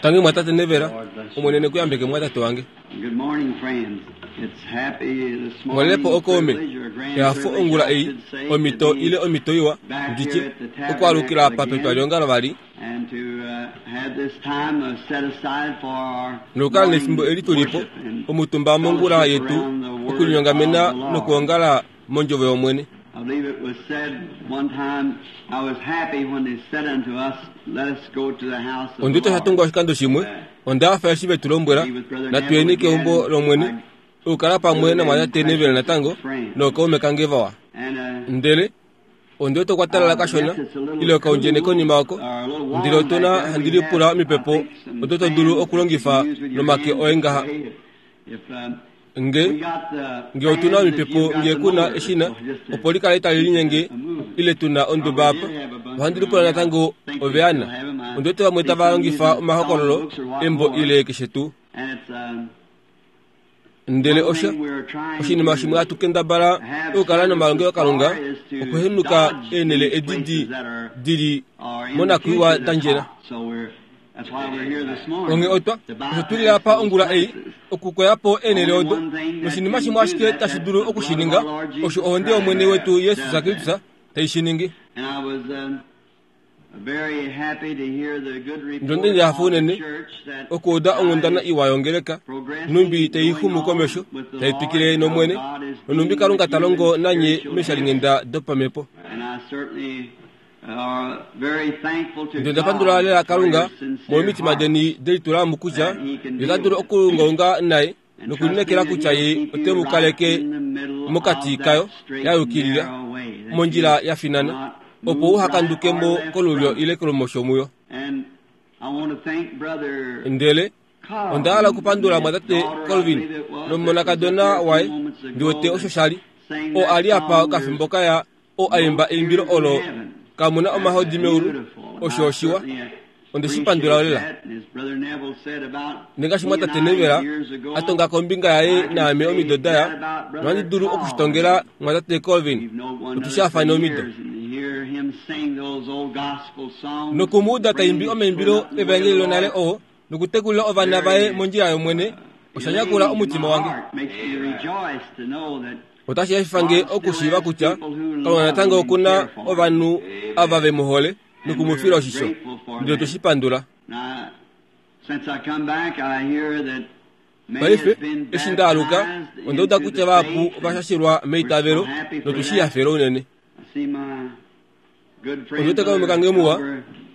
Tangi mwatate Nevera, Omwene ne ku yambeke mwatate wange. Mwalelepo okaume, ehafo ongula ei, omhito ile omhito iwa, ndi tye, okwaalukila apa petwaliongalo vali, nokukala nefimbo eli tu li po, omutumba mongula yetu, okulinyongamena nokuongala mondjovo yOmwene. Ondi wete osha tungwa oshikando shimwe, onda hafa eshi ve tu lombwela, Natu yeni keumbo lOmwene, okukala pamwe namwatate Neville natango, nookaume kange vawa. Ndele ondi wete okwa talala kashona, ile okaundjene konima oko, ndele otu na handi lipula omipepo odo to dulu okulongifa nomake oye ngaha. Nge, nge otu na omipepo nge ku na eshina opo li kale tali linyenge ile tu na onduba apa, ohandi lipula natango oveana. Ondi wete vamwe tava longifa omahokololo embo ile keshe tuu. Ndele osha oshinima shimwe hatu kendabala okukala nomalongelokalunga okuhenuka eenhele edi di, di li monakwiiwa da ndjela. Onghee otwa, osho tu li apa ongula ei, okukoya po eenhele odo. Noshinima shimwe ashike tashi dulu oku shi ninga, osho ohonde yOmwene wetu Jesus Kristus tai shi ningi. Ndonde ndi hafa unene okuuda onghundana iwa yongeleka, nhumbi tai xumu komesho, tai twikile nOmwene, nonhumbi Kalunga ta longo nanye meeshalinghenda dopamhepo. Ndele onda pandula lela Kalunga molwomitima deni de litula mo kutya ye ota dulu okuungaunga naye nokulineekela kutya ye ote mu kaleke mokati kayo ya yukilila mondjila ya finana opo uha kanduke mo kolulyo ile kolumosho muyo. Ndele onda hala okupandula mwatate Colvin nomonakadona waye, ndi wete osho sha li, oo a li apa okafimbo ka ya oo a imba eimbilo olo Kamu na omahodi meulu, osho oshiwa. Onde shi pandula lela. Nengaashi mwatate Neville a tonga kombinga yaye naame omido da ya, nohandi dulu oku shi tongela mwatate Colvin. Otu shaafane omido. Noku mu uda ta imbi omaimbilo evaengeli lonale oo, nokutekulila ovana vaye mondjila yOmwene, osha nyakula omutima wange. Otashi hafifa nge okushiiva kutya Kalunga natango oku na ovanhu ava ve mu hole noku mu fila oshisho, ndele otwe shi pandula. Paife, eshi nda aluka, onda uda kutya vahapu ova shashilwa meitavelo, notu shi hafela unene. Ondi wete kaume kange muwa,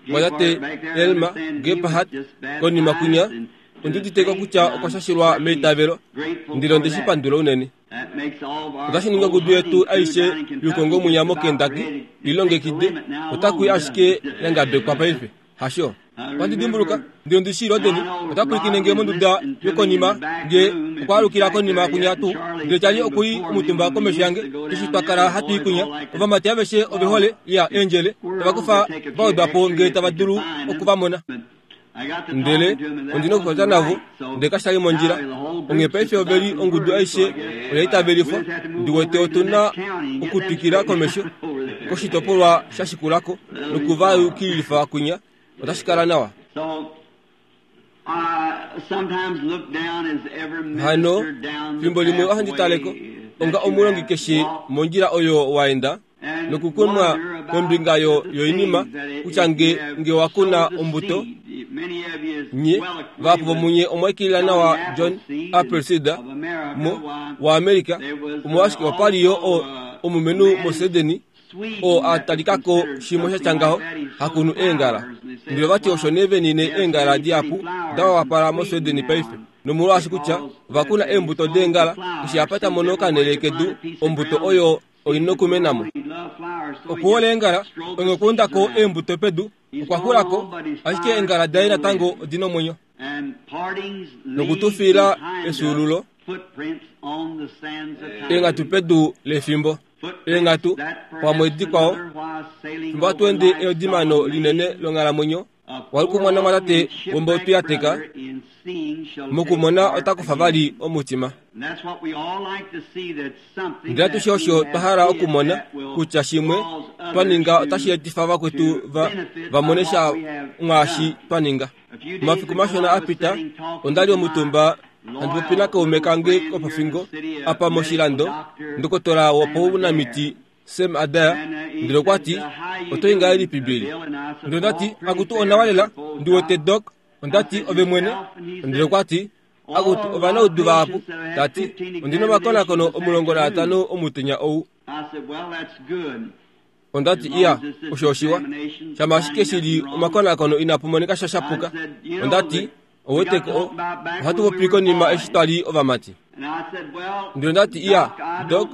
mwatate Elmer Gephardt, konima kwinya, ondi udite ko kutya okwa shashilwa meitavelo, ndele onde shi pandula unene. Otashi ningi ongudu yetu aishe youkongo mwinya moKentucky i longekide, otaku i ashike ya ngabekwa paife. Hasho. Ohandi dimbuluka, ndi ondi shii Rodney ota pwilikine nge monduda yokonima nge okwa alukila konima kunya tuu, ndele Charlie oku li omutumba komesho yange eshi twa kala hatu i kunya. Ovamati aveshe ove hole, ya, eendjele, tava kufa va wedwa po nge tava dulu oku va mona. Ndele ondi nokupopya navo, ndele kasha li mondjila. Onghee paife ove li ongudu aishe oya itavelifwa. Ndi wete otu na okutwikila komesho koshitopolwa sha shikula ko noku va yukililifa kwinya. Otashi kala nawa. Hano, fimbo limwe ohandi tale ko onga omulongi keshe mondjila oyo wa enda nokukumwa kombinga yo, yoinima kutya nge, nge wa kuna ombuto, nye, vahapu vomunye omwa ikilila nawa John Appleseed mo, waAmerica, omolwashike opa li yo o, omumenhu moSwedeni oo a talika ko shimwe sha tya ngaho, ha kunu eengala. Ndele vati osho nee ve nine eengala dihapu da wapala moSwedeni paife, nomolwaashi kutya ova kuna eembuto deengala, eshi apa ta mono okanhele kedu, ombuto oyo oi nokumena mo. Okuhola eengala, onghee okwa unda ko eembuto pedu, okwa xula ko, ashike eengala daye natango odi na omwenyo. Noku tu fiila efyuululo, eenghatu pedu lefimbo. Eenghatu pamwe dikwao, fimbo hatu ende eodimano linene longhalamwenyo, Walukumwa namwatate wombautu ya teka, mokumona ota kufa vali omutima. Ndele atushe osho twa hala okumona kutya shimwe twa ninga otashi etifa vakwetu va, va mone sha mwaashi twa ninga. Omafiku mashona a pita, onda li omutumba handi popi nakaume kange kopofingo apa moshilando, ndokotola wopaunamiti Sam Adair, ndele okwa ti, Oto i ngahelipi, Billy? Ndele onda ti, Akutu onawa lela, ndi wete, Doc. Onda ti, Ove mwene? Ndele okwa ti, Akutu ovanaudu vahapu. Ta ti, Ondi na omakonakono 15 omutenya ou. Onda ti, Iya, osho oshiwa. Shama ashike shi li omakonakono inapu monika sha shapuka. Onda ti, Ouwete ko, ohatu popi konima eshi twa li ovamati. Ndele onda ti, Iya, Doc,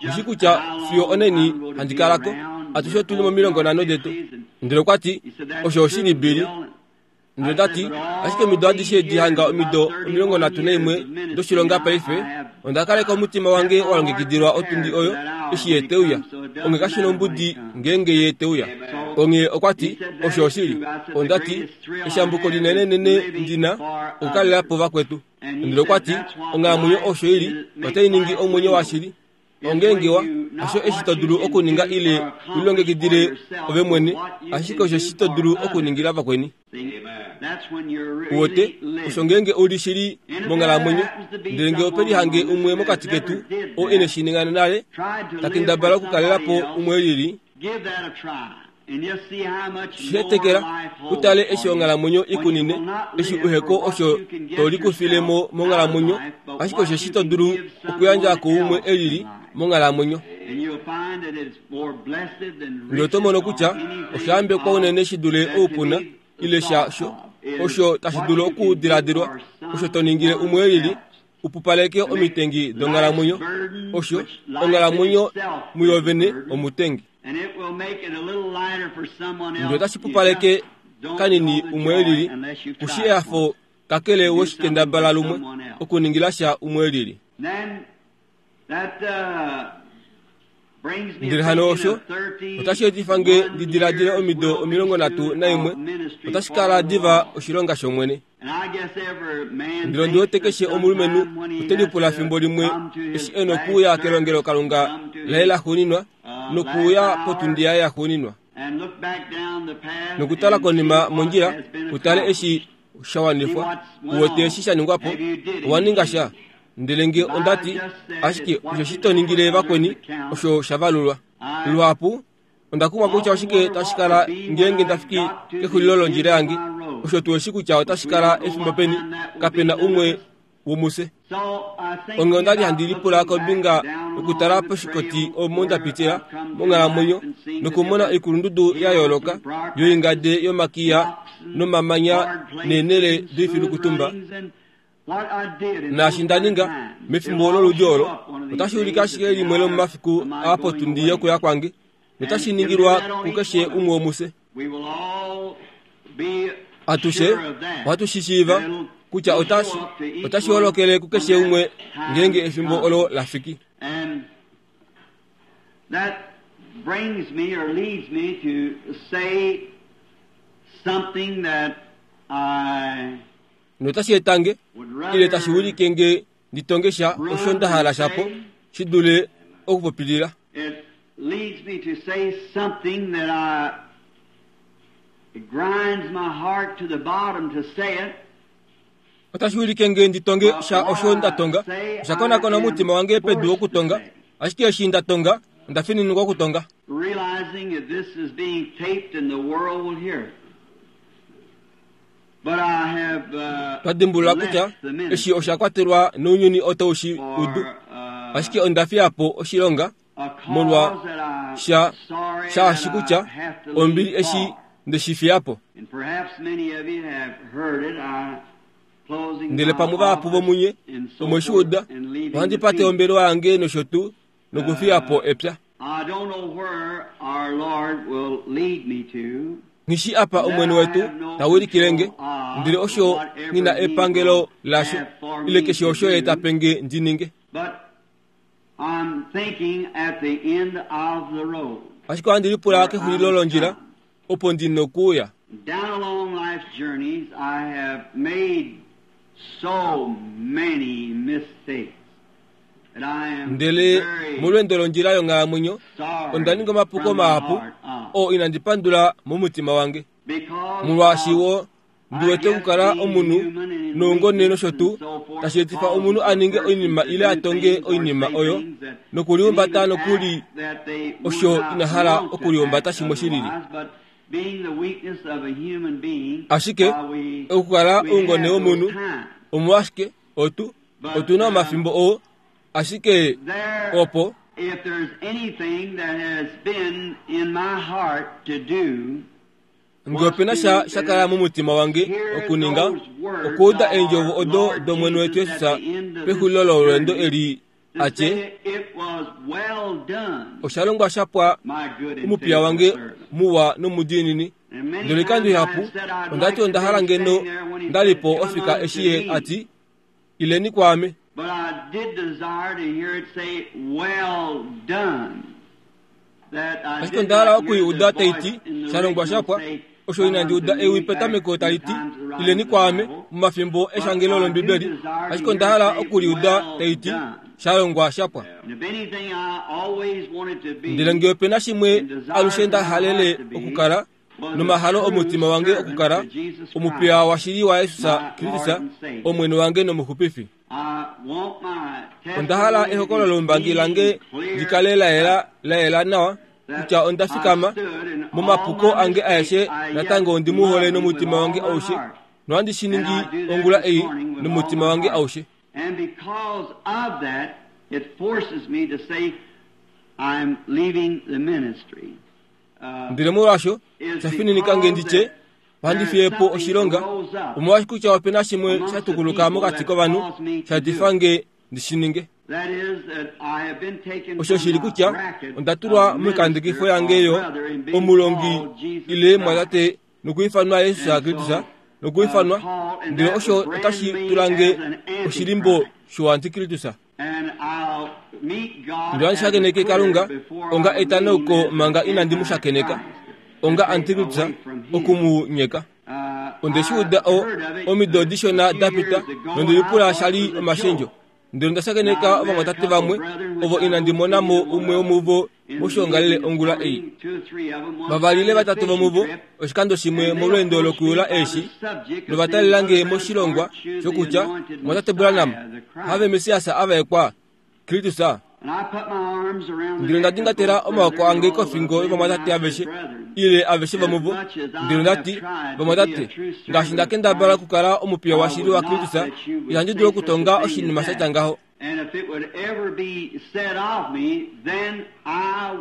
oshi kutya fiyo oneni handi kala ko. Atushe otu li momilongo nhano detu. Ndele okwa ti, Osho oshili, Billy. Ndele ta ti, Ashike omido adishe edi hanga omido 31 doshilonga paife, onda kaleka omutima wange wa longekidilwa otundi oyo eshi ye te uya. Onghee kashi nombudi ngeenge ye te uya. Onghee okwa ti, Osho oshili. Onda ti, Eshambuko linenenene ndi na, okukalela po vakwetu. Ndele okwa ti, Onghalamwenyo osho i li, otai ningi omwenyo washili. Ongeenge wa, hasho eshi to dulu okuninga ile u lilongekidile ove mwene, ashike osho eshi to dulu okuningila vakweni. Uwete, osho ngeenge u li shili monghalamwenyo. Ndele nge ope lihange umwe mokati ketu oo ine shi ninga nale, ta kendabala okukalela po umwe e lili, Shetekela, u tale eshi onghalamwenyo i kunine, eshi u he ko osho to likufile mo monghalamwenyo, ashike osheshi to dulu okuyandja kuumwe e lili monghalamwenyo. Ndele oto mono kutya osha yambekwa unene shi dule oupuna ile sha sho osho tashi dulu okudiladilwa, osho to ningile umwe e lili u pupaleke omitengi donghalamwenyo, osho onghalamwenyo muyo vene omutengi. Ndele otashi pupaleke kanini umwe e lili, ku shi ehafo kakele we shi kendabala lumwe okuningila sha umwe e lili. Ndele hano osho otashi etifa nge ndi diladile omido 31 otashi kala diva oshilonga shOmwene. Ndele ondi wete keshe omulumenhu ote lipula fimbo limwe eshi e nokuuya kelongelokalunga laye laxuuninwa nokuuya potundi yaye yaxuuninwa nokutala konima mondjila u tale eshi sha wanifwa, u wete eshi sha ningwa po, owa ninga sha. Ndele nge onda ti, ashike osho shi to ningile vakweni osho sha valulwa. Luhapu Onda kumwa kutya oshike tashi kala ngeenge nda fiki kexulilo londjila yange. Osho tuu eshi kutya otashi kala efimbo peni, kape na umwe womufye. Onghee onda li handi lipula kombinga yokutala poshikoti omo nda pitila monghalamwenyo nokumona oikulundudu ya yooloka yoingade yomakiya nomamanya neenhele doifilukutumba. Naashi nda ninga mefimbo loludi olo otashi ulike ashike limwe lomomafiku aa potundi yokuya kwange, notashi ningilwa kukeshe umwe womufye. Atushe ohatu shi shiiva kutya otashi otashi holokele kukeshe umwe ngeenge efimbo olo la fiki. That brings me or leads me to say something that I Notashi eta nge, ile tashi wilike nge ndi tonge sha osho nda hala shapo, shi dule okupopilila. It leads me to say something that I, it grinds my heart to the bottom to say it. Otashi wilike nge ndi tonge sha osho nda tonga. Osha konakona omutima wange pedu okutonga, ashike eshi nda tonga, onda fininikwa okutonga. Realizing that this is being taped and the world will hear it. Twa dimbulula kutya eshi osha kwatelwa nounyuni otau shi udu, ashike onda fiya po oshilonga molwa sha shaashi kutya ombili eshi nde shi fiya po. Ndele pamwe vahapu vomunye omwe shi uda, ohandi pate ombelewa yange nosho tuu nokufiya po epya. Nghi shi apa Omwene wetu ta wilikile nge, ndele osho nghi na epangelo lasho, ile keshe osho Ye ta pe nge ndi ninge. Ashike ohandi lipula kexulilo londjila opo ndi nokuuya. Ndele molweendo londjila yonghalamwenyo, onda ninga omapuko mahapu oo inandi pandula momutima wange. Molwaashi wo Ndi wete okukala omunhu noungone nosho tuu, tashi etifa omunhu a ninge oinima ile a tonge oinima oyo nokulihumbata nokuli osho ina hala okulihumbata shimwe shi lili. Ashike okukala oungone womunhu omolwashike otu otu na omafimbo oo ashike opo Nge ope na sha sha kala momutima wange okuninga, okuuda eendjovo odo dOmwene wetu Jesus pexulilo lolweendo eli a tye, Osha longwa sha pwa, omupiya wange muwa nomudiinini. Ndele oikando ihapu onda ti onda hala ngeno nda li po ofika eshi ye a ti, Ileni kwaame. Ashike onda hala oku i uda tai ti, Sha longwa sha pwa. Osho inandi uda ewi petameko tali ti, Ileni kwaame, momafimbo eshangelo lOmbibeli, ashike onda hala oku li uda tai ti, Sha longwa sha pwa. Ndele nge ope na shimwe alushe nda halele okukala, nomahalo omutima wange okukala omupiya washili waJesus Kristus, Omwene wange nOmuxupifi. Onda hala ehokololo lombangi lange li kale la yela la yela nawa kutya onda fikama momapuko ange aeshe natango ondi mu hole nomutima wange aushe nohandi shi ningi ongula ei nomutima wange aushe. And because of that, it forces me to say I'm leaving the ministry. Ndele molwaasho sha fininika nge ndi tye, Ohandi fiye po oshilonga, omolwaashi kutya ope na shimwe sha tukuluka mokati kovanhu sha difa nge ndi shi ninge. Osho shili kutya onda tulwa moikandekifo yange yo omulongi ile mwatate nokuifanwa Jesus Kristus nokuifanwa, ndele osho otashi tula nge oshilimbo shouantikristus. Ndele ohandi shakeneke Kalunga onga etanauko manga inandi mu shakeneka, onga antikristus oku mu nyeka. Onde shi uda o, omido dishona da pita, nonde lipula sha li omashendjo. Ndele onda shakeneka ovamwatate vamwe ovo inandi mona mo umwe womuvo moshiongalele ongula ei. Vavali ile vatatu vomuvo oshikando shimwe molweendo lokuyula eeshi, nova talela nge moshilongwa shokutya mwatate Branham have Messias a vaekwa, Kristus. Ndele onda dingatela omaoko ange kofingo yovamwatate aveshe, ile aveshe vomuvo, ndele onda ti, Vamwatate, ngaashi nda kendabala okukala omupiya washili waKristus, ihandi dulu okutonga oshinima sha tya ngaho.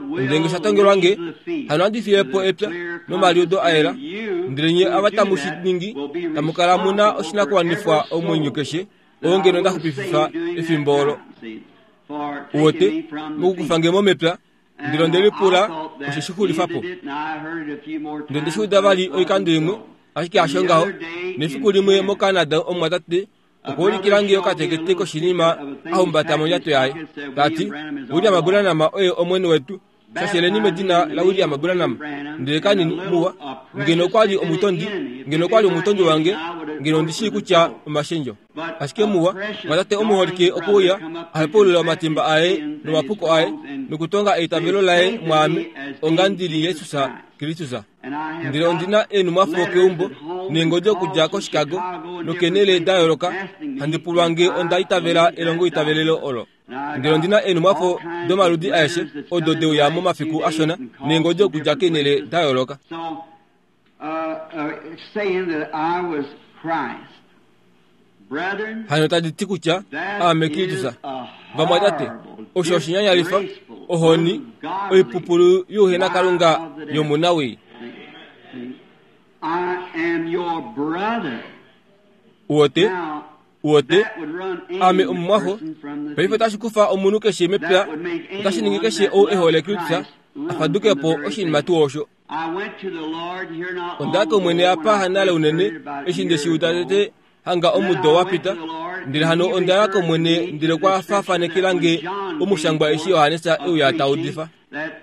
Ndele nge sha tongelwa nge, hano ohandi fiye po epya nomaliudo a yela, ndele nye ava tamu shi ningi, tamu kala mu na oshinakuwanifwa omwenyo keshe, oo ngeno nda xupififa efimbo olo. Uwete, mokukufa nge mo mepya, ndele onde lipula osho shi xulifa po. Ndele onde shi uda vali oikando imwe, ashike hasho ngaho. Nefiku limwe moCanada omumwatate Okwa ulikila nge okatekete koshinima a humbata mondjato yaye, ta ti, William Branham oye Omwene wetu. Shasheleni medina laWilliam Branham. Ndele kanini, muwa, ngeno okwa li omutondi, ngeno okwa li omutondi wange, ngeno ondi shii kutya omashendjo. Ashike muwa, mwatate omuholike okwe uya, a hepaulula omatimba aye nomapuko aye, nokutonga eitavelo laye mwaame, onga ndi li Jesus Kristus. Ndele ondi na eenhumwafo keumbo neengodi okudja koChicago nokeenhele da yooloka handi pulwa nge onda itavela elongoitavelelo olo. Ndele ondi na eenhumwafo domaludi aeshe odo de uya momafiku ashona neengodi okudja keenhele da yooloka. Hano tadi ti kutya aame Kristus. Vamwatate, osho oshinyanyalifa, ohoni, oipupulu youhenakalunga yomunawii. Uwote, uwote, ame omumwaxo. Paife otashi kufa omunhu keshe mepya, otashi ningi keshe ou e hole Kristus a faduke po oshinima tuu osho. Onda ya kOmwene apa hanale unene, eshi nde shi uda tete hanga omudo wa pita. Ndele hano onda ya kOmwene ndele okwa faafanekela nge omushangwa eshi Johannes e uya ta udifa.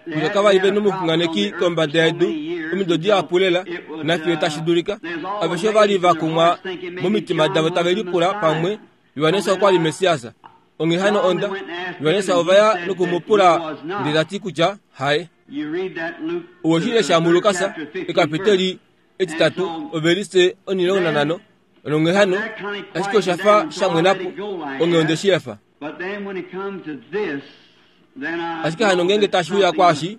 Kutya kava li ve nomuxunganeki kombada yedu omido dihapu lela, nafiyo tashi dulika. Aveshe ova li va kumwa momitima davo tave lipula pamwe Johannes okwa li Messias. Onghee hano onda Johannes ova ya noku mu pula ndele ta ti kutya haye. Owe shi lesha muLukas ekapiteli. Etitatu, ovelise 15. Nonghee hano, ashike osha fa sha mwena po, onghee onde shi efa. Ashike hano ngeenge tashi uya kwaashi,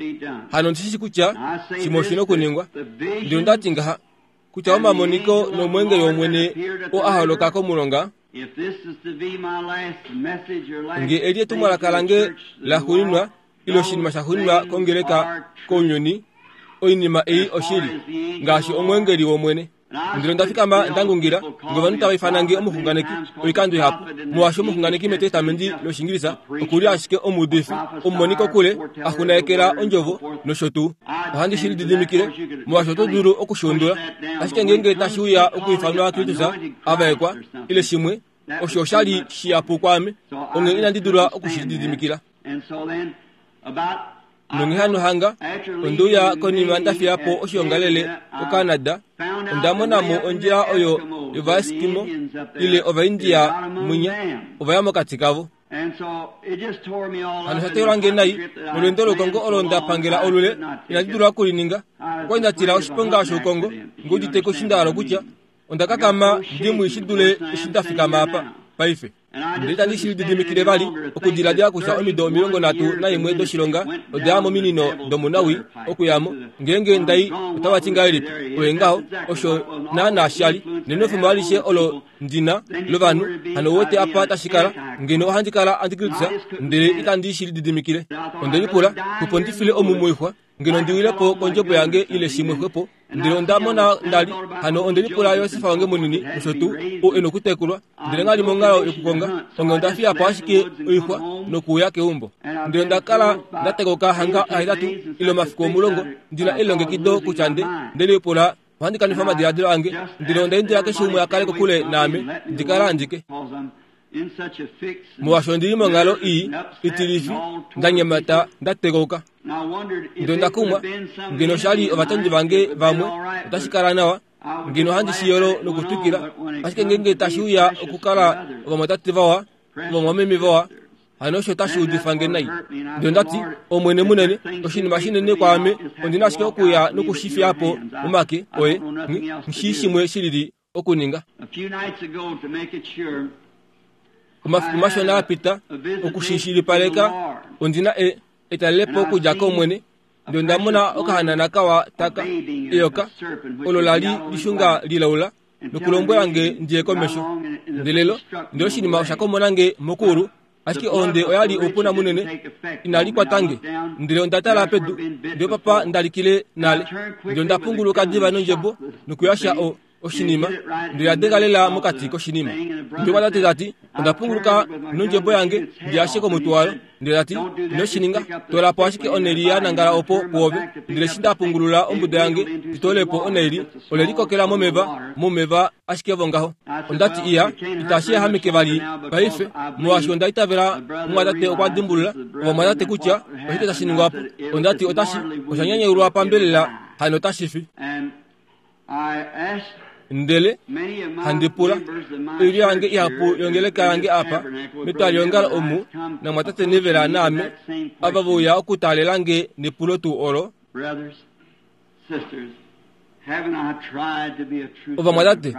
hano ondi shi shii kutya shimwe oshi na okuningwa. Ndele onda ti ngaha, kutya omamoniko nomweengeli wOmwene oo a holoka komulonga, Nge eli etumwalaka lange laxuuninwa ile oshinima shaxuuninwa kongeleka kounyuni, oinima ei oshili, ngaashi omweengeli wOmwene. Ndele onda fikama nda ngungila, nge ovanhu tava ifana nge omuxunganeki oikando ihapu, molwaashi omuxunganeki mEtestamenti lOshiingilisa oku li ashike omuudifi, omumoni kokule, a xunaekela ondjovo, nosho tuu. Ohandi shi lididimikile, molwaashi oto dulu oku shi undula. Ashike ngeenge tashi uya okuifanwa Kristus a vaekwa, ile shimwe, osho osha li shihapu kwaame, onghee inandi dula oku shi lididimikila. Nonghee hano hanga onde uya konima nda fiya po oshiongalele koCanada, onda mona mo ondjila oyo yOvaeskimo ile Ovaindia mwinya, ova ya mokati kavo. Hano osha teyula nge nai, nolweendo loukongo olo nda pangela olule, inandi dula oku li ninga. Okwa li nda tila oshiponga shoukongo, nge udite ko eshi nda hala okutya. Onda kakama ndi mwii shi dule eshi nda fikama apa paife. Ndele itandi shi lididimikile vali okudiladila kutya omido 31 doshilonga oda ya mominino domunawii okuya mo. Ngeenge nda i otava ti ngahelipi? Oye ngaho, osho naanaa sha li. Nenwefemo alishe olo ndi na lovanhu, hano ou wete apa tashi kala, ngeno ohandi kala antikristus, ndele itandi shi lididimikile. Onde lipula, Opo ndi file omu moixwa, ngeno ndi wile po kondjebo yange ile shimwe xwepo, ndele onda mona nda li, hano onde lipula Josef wange munini nosho tuu, ou e nokutekulwa, ndele ngha li monghalo yokukonga, onghee onda fiya po ashike oixwa nokuuya keumbo. Ndele onda kala nda tekoka hanga ahetatu ile omafiku 10, ndi na elilongekido kutya nde, nde lipula Ohandi kanifa omadiladilo ange, ndele onda indila keshe umwe a kale kokule naame, ndi kale andike. Molwaashi ondi li monghalo ii itilifi, nda nyemata, nda tekauka. Ndele onda kumwa, ngeno osha li ovatondi vange vamwe, otashi kala nawa, ngeno ohandi shi yolo nokutwikila. Ashike ngeenge tashi uya okukala ovamwatate vawa, ovamwameme vawa, Hano osho otashi udifa nge nai. Ndele onda ti, Omwene munene, oshinima shinene kwaame, ondi na ashike okuya noku shi fiya po momake oye, nghi shii shimwe shilili okuninga. Omafiku mashona a pita, oku shi shilipaleka, ondi na e, etalelepo okudja kOmwene, Ndele onda mona okahanana kawa taka, eyoka, olo la li lishunga lilaula, nokulombwela nge ndi ye komesho. Ndele lo, ndele oshinima osha komona nge mokuulu, ashike ohonde oya li oupuna munene, inali kwata nge. Ndele onda tala pedu, ndele papa nda likile nale. Ndele onda punguluka diva nondjebo nokuyasha o, oshinima, ndele ya denga lela mokati koshinima. Ndele omwatate ta ti, Onda punguluka nondjebo yange ndi yashe komutwe wayo. Ndele ta ti, Ino shi ninga. Toola po ashike onheli ya nangala opo puove. Ndele eshi nda pungulula ombuda yange ndi toole po onhaili, ole likokela momeva, momeva ashike vongaho. Onda ti, Iya, itashi yahameke vali paife, molwaashi onda itavela omumwatate okwa dimbulula, ovamwatate kutya oshike tashi ningwa po. Onda ti, Otashi, osha nyanyaulwa pambelela, hano otashi fi. Ndele handi pula oilyo yange ihapu yongeleka yange apa metwaliongalo omu namwatate Neville naame ava ve uya okutaalela nge nepulo tuu olo. Ovamwatate,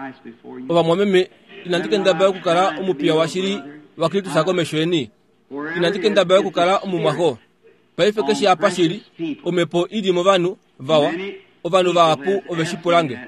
ovamwameme, inandi kendabala okukala omupiya washili waKristus komesho yeni. Inandi kendabala okukala omumwaxo. Paife keshe apa shi li, omhepo i li movanhu vawa, ovanhu vahapu ove shi pula nge.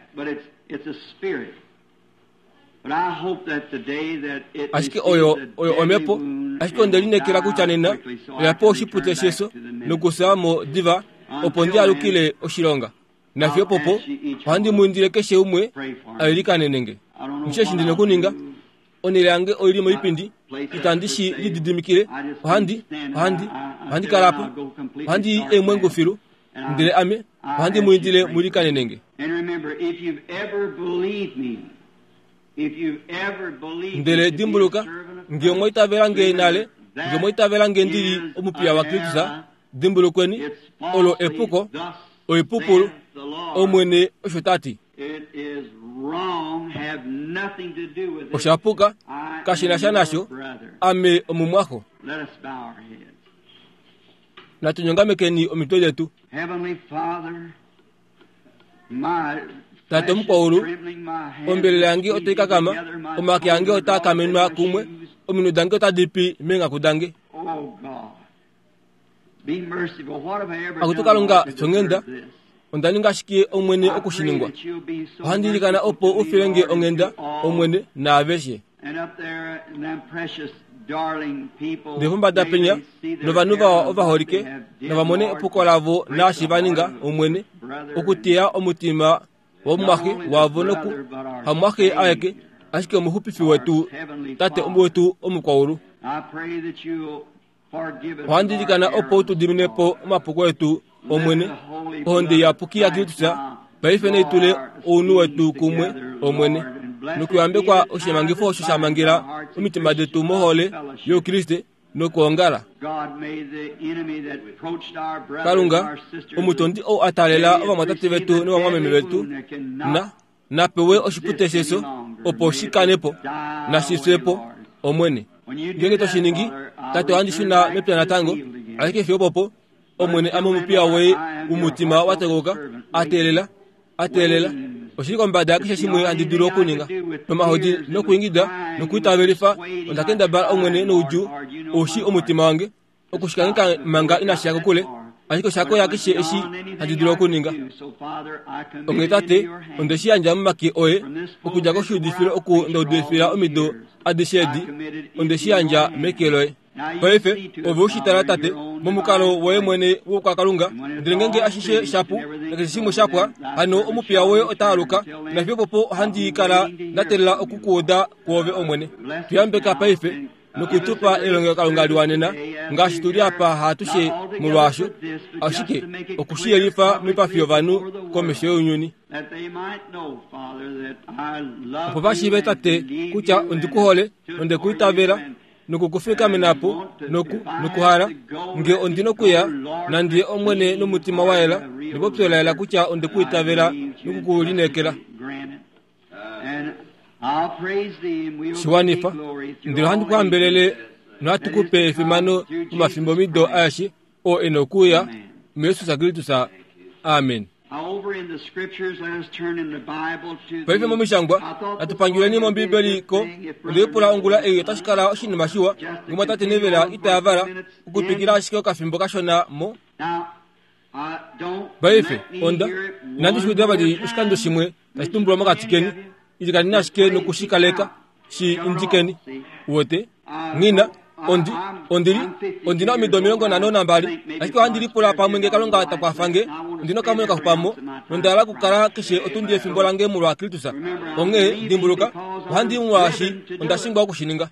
Ashike oyo, oyo omhepo, ashike onde lineekela kutya nena oya pewa oshipute shefyo nokufya mo diva opo ndi alukile oshilonga. Nafiyo opopo, ohandi mu indile keshe umwe a ilikanene nge. Nghi eshi ndi na okuninga. Onhele yange oi li moipindi, itandi shi lididimikile. Ohandi, ohandi, ohandi kala apa. Ohandi i eemwengu filu. Ndele ame, ohandi mu indile mu ilikanene nge. Ndele dimbuluka, nge omwa itavela nge nale, nge omwa itavela nge ndi li omupiya waKristus, dimbulukweni, olo epuko, oipupulu, Omwene osho ta ti. Osha puka, kashi na sha nasho, ame omumwaxo. Natu nyongamekeni omitwe detu. Tate omukwaulu, ombelela yange otai kakama, omake ange otaa kamenwa kumwe, ominwe dange otadi pi meenghaku dange. Akutu Kalunga, fyonghenda, onda ninga shike Omwene oku shi ningwa? Ohandi ilikana opo u file nge onghenda, Omwene, naaveshe. Ndele pombada penya, novanhu vawa ovaholike, nava mone epuko lavo naashi va ninga, Omwene, okuteya omutima womumwaxe wavo noku hamumwaxe aeke, ashike omuxupifi wetu, Tate wetu omukwaulu. Ohandi ilikana opo u tu dimine po omapuko etu, Omwene. Ohonde iyapuki yaKristus paife nai tule ounhu wetu kumwe, Omwene, nokuyambekwa oshimangifo osho sha mangela omitima detu mohole youKriste nokwoongala. Kalunga, omutondi ou a taalela ovamwatate vetu novamwameme vetu, na na pewe oshipute shefyo opo shi kane po, nashi fye po, Omwene. Ngeenge to shi ningi, Tate, ohandi shuna mepya natango, ashike fiyo opopo, Omwene, ame omupiya woye womutima wa tekauka, a teelela, a teelela. Oshili kombada yakeshe shimwe handi dulu okuninga. Nomahodi nokuingida nokuitavelifa, onda kendabala, Omwene, noudjuu, ou shii omutima wange. Okushikangheka manga inashi ya kokule, ashike osha koya keshe eshi handi dulu okuninga. Onghee Tate, onde shi yandja momake oye, okudja koshiudifilo oku nda udifila omido adishe edi, onde shi yandja meke loye. Paife, ove u shi tala, Tate, momukalo woye mwene woukwakalunga, ndele ngeenge ashishe sha pu, nakeshe shimwe sha pwa, hano omupiya woye ota aluka, nafiyo opopo ohandi kala nda teelela oku ku uda kwoove, Omwene. Tu yambeka paife. nokutupa elongelokalunga liwanena ngaashi tu li apa haatushe molwaasho, ashike oku shi yelifa moipafi yovanhu komesho younyuni, opo va shiive, Tate, kutya ondi ku hole nonde ku itavela noku ku fikamena po noku nokuhala nge ondi nokuya nandi ye Omwene nomutima wa yela nepopyo la yela kutya onde ku itavela noku ku lineekela. Shi wanifa, ndele ohandi ku hambelele nohatu ku pe efimano momafimbomido aeshe oo e na okuuya, muJesus Kristus. Amen. Paife momishangwa, natu panguleni mOmbiibeli ko. Onde lipula ongula ei otashi kala oshinima shiwa nge tate Neville ita yavala okutwikila ashike okafimbo kashona mo. Paife, onda, inandi shi uda vali oshikando shimwe tashi tumbulwa mokati keni. Ilikaneni ashike noku shi kaleka shi indikeni. Uwete? Nghi na, ondi, ondi li, ondi na omido 52, ashike ohandi lipula pamwe nge Kalunga ta kwafa nge, ondi na okamwenyo kaxupa mo, nonda hala okukala keshe otundi yefimbo lange molwa Kristus. Onghee, dimbuluka, ohandi i molwaashi onda shingwa oku shi ninga.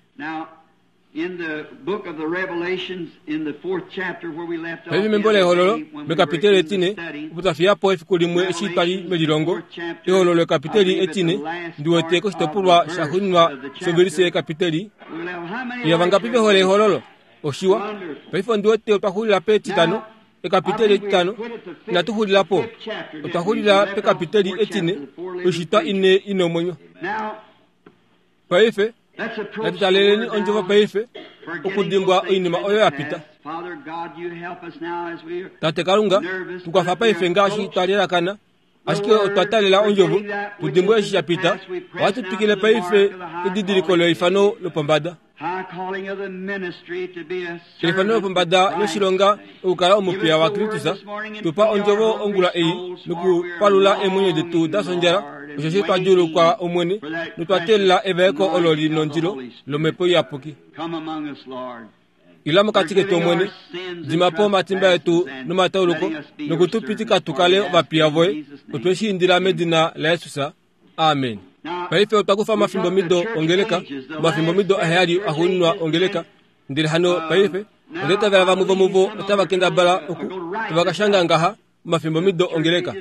Paife membo lEhololo, mekapiteli etine, opo twa fiya po efiku limwe eshi twa li melilongo, Ehololo ekapiteli etine, ndi wete koshitopolwa shaxuuninwa shovelise yekapiteli. Iya, vangapi ve hole Ehololo? Oshiwa. Paife ondi wete otwa xulila petitano, ekapiteli etitano. Inatu xulila po. Otwa xulila pekapiteli etine, oishitwa ine i nomwenyo. Paife, natu taleleni ondjovo paife, okudimbwa oinima oyo ya pita. Tate Kalunga, tu kwafa paife ngaashi twa lelakana, ashike otwa talela ondjovo, tu dimbwe eshi sha pita. Ohatu twikile paife kedidiliko leifano lopombada. Eifano lopombada loshilonga okukala omupiya waKristus. Tu pa ondjovo ongula ei nokupalula eemwenyo detu da fya osheshi twa djuulukwa Omwene notwa teelela evaeko olo li nondilo lOmhepo Iyapuki. Ila mokati ketu Omwene, dima po omatimba etu nomatauluko noku tu pitika tu kale ovapiya voye. Otwe shi indila medina laJesus. Amen. Paife otwa kufa omafimbomido ongeleka, omafimbomido aheyali axuuninwa ongeleka. Ndele hano paife, onda itavela vamwe vomuvo otava kendabala oku, tava ka shanga ngaha, omafimbomido ongeleka.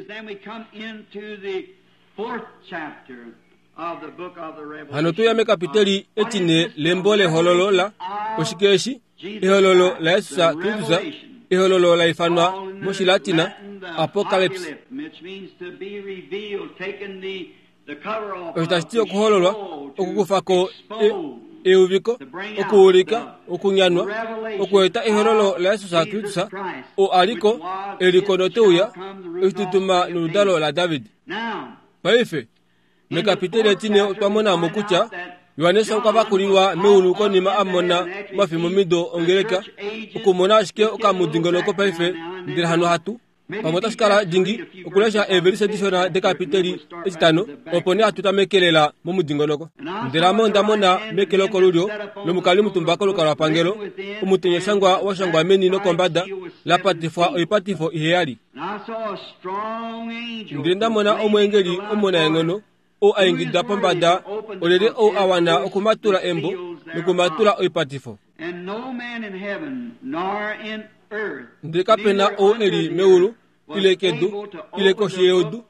Hano tuya mekapiteli etine lembo lehololo la, oshike eshi? Ehololo laJesus Kristus, ehololo la ifanwa mOshilatina Apocalypse. Osho tashi ti okuhololwa, okukufa ko e, euviko, okuulika, okunyanwa, okueta ehololo laJesus Kristus, oo a li ko, e li ko note uya, oshitutuma noludalo laDavid. Paife, mekapiteli etine otwa mona mo kutya Johannes okwa vakulilwa meulu konima a mona omafimbomido ongeleka, okumona ashike okamudingonoko paife, ndele hano hatu pamwe otashi kala dingi okulesha eevelise dishona dekapiteli etitano opo nee hatu tamekelela momudingonoko. Ndele ame onda mona meke lokolulyo lomukali omutumba kolukalwapangelo omutenyoshangwa wa shangwa meni nokombada la patifwa oipatifo iheyali. Ndele nda mona omweengeli omunaenghono ou a ingida pombada, Olyelye ou a wana okumatula embo nokumatula oipatifo? Ndele kape na ou e li meulu ile kedu ile koshi yeudu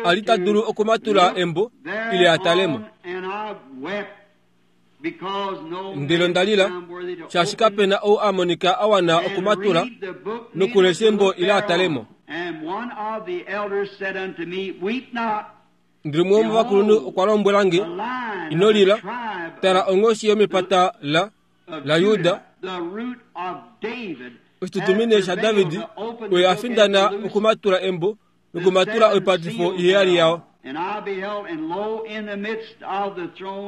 a li ta dulu okumatula embo ile a tale mo. Ndele onda lila, shaashi kape na ou a monika a wana okumatula nokulesha embo ile a tale mo. Ndele umwe womovakulunhu okwa lombwela nge, Ino lila, tala onghoshi yomepata la laJuda, oshitutumine shaDavid, oye a findana okumatula embo nokumatula oipatifo iheyali yao.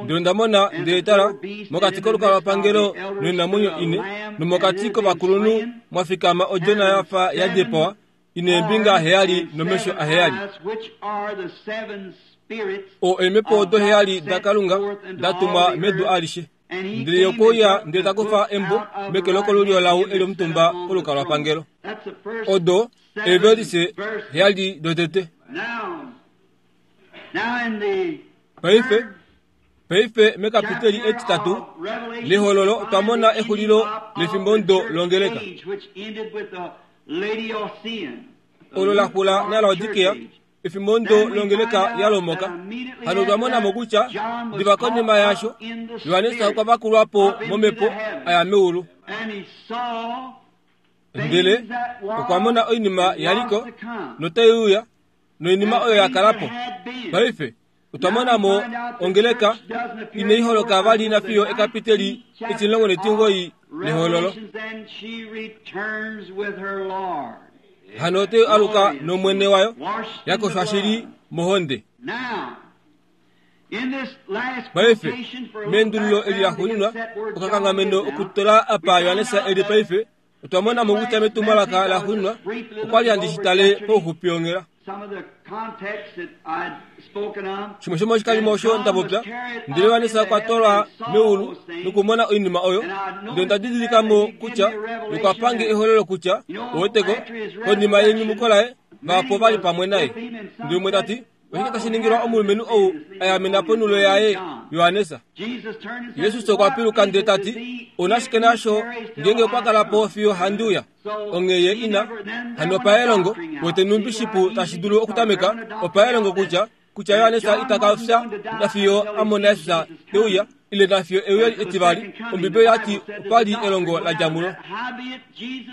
Ndele onda mona, ndele tala, mokati kolukalwapangelo noinamwenyo ine, nomokati kovakulunhu mwa fikama odjona ya fa ya dipawa, i neembinga heyali nomesho aheyali. O eemhepo odo heyali daKalunga da tumwa medu alishe. Ndele ye okwe uya ndele ta kufa embo meke lokolulyo lau e li omutumba kolukalwapangelo. Odo eevelise heyali dotete. Paife, paife mekapiteli etitatu lEhololo otwa mona exulilo lefimbomudo longeleka. Olo la xula naLaodikea efimbo ndo longeleka ya lomoka. Hano otwa mona mo kutya diva konima yaasho, Johannes okwa vakulwa po momhepo a ya meulu. Ndele okwa mona oinima ya li ko notai uya, noinima oyo ya kala po. Paife otwa mona mo ongeleka inai holoka vali nafiyo ekapiteli etimulongo netimugoi lehololo. Hano otai aluka nOmwene wayo, ya koshwa shili mohonde. Paife, meendululo eli laxuuninwa, okakanghameno okutola apa Johannes e li paife, Otwa mona mo kutya metumwalaka laxuuninwa okwa li handi shi tale pauxupi onghela. Shimwe shomoshikalimo osho nda popya, ndele Johannes okwa twalwa meulu nokumona oinima oyo, ndele onda didilika mo kutya okwa pange ehololo kutya, oweteko, konima yenyumuko laye, vahapu ova li pamwe naye. Ndele umwe ta ti, Oshike tashi ningilwa omulumenhu ou a yamena ponulo yaye, Johannes? Jesus okwa piluka ndele ta ti, Ou ashike nasho ngeenge okwa kala po fiyo handi uya. Onghee ye ina hano paelongo, wete nhumbi shipu tashi dulu okutameka opaelongo kutya kutya Johannes ita ka fya nafiyo a mona Jesus te uya ile nafiyo euyo etivali. Ombibeli oya ti opa li elongo la dja mulo.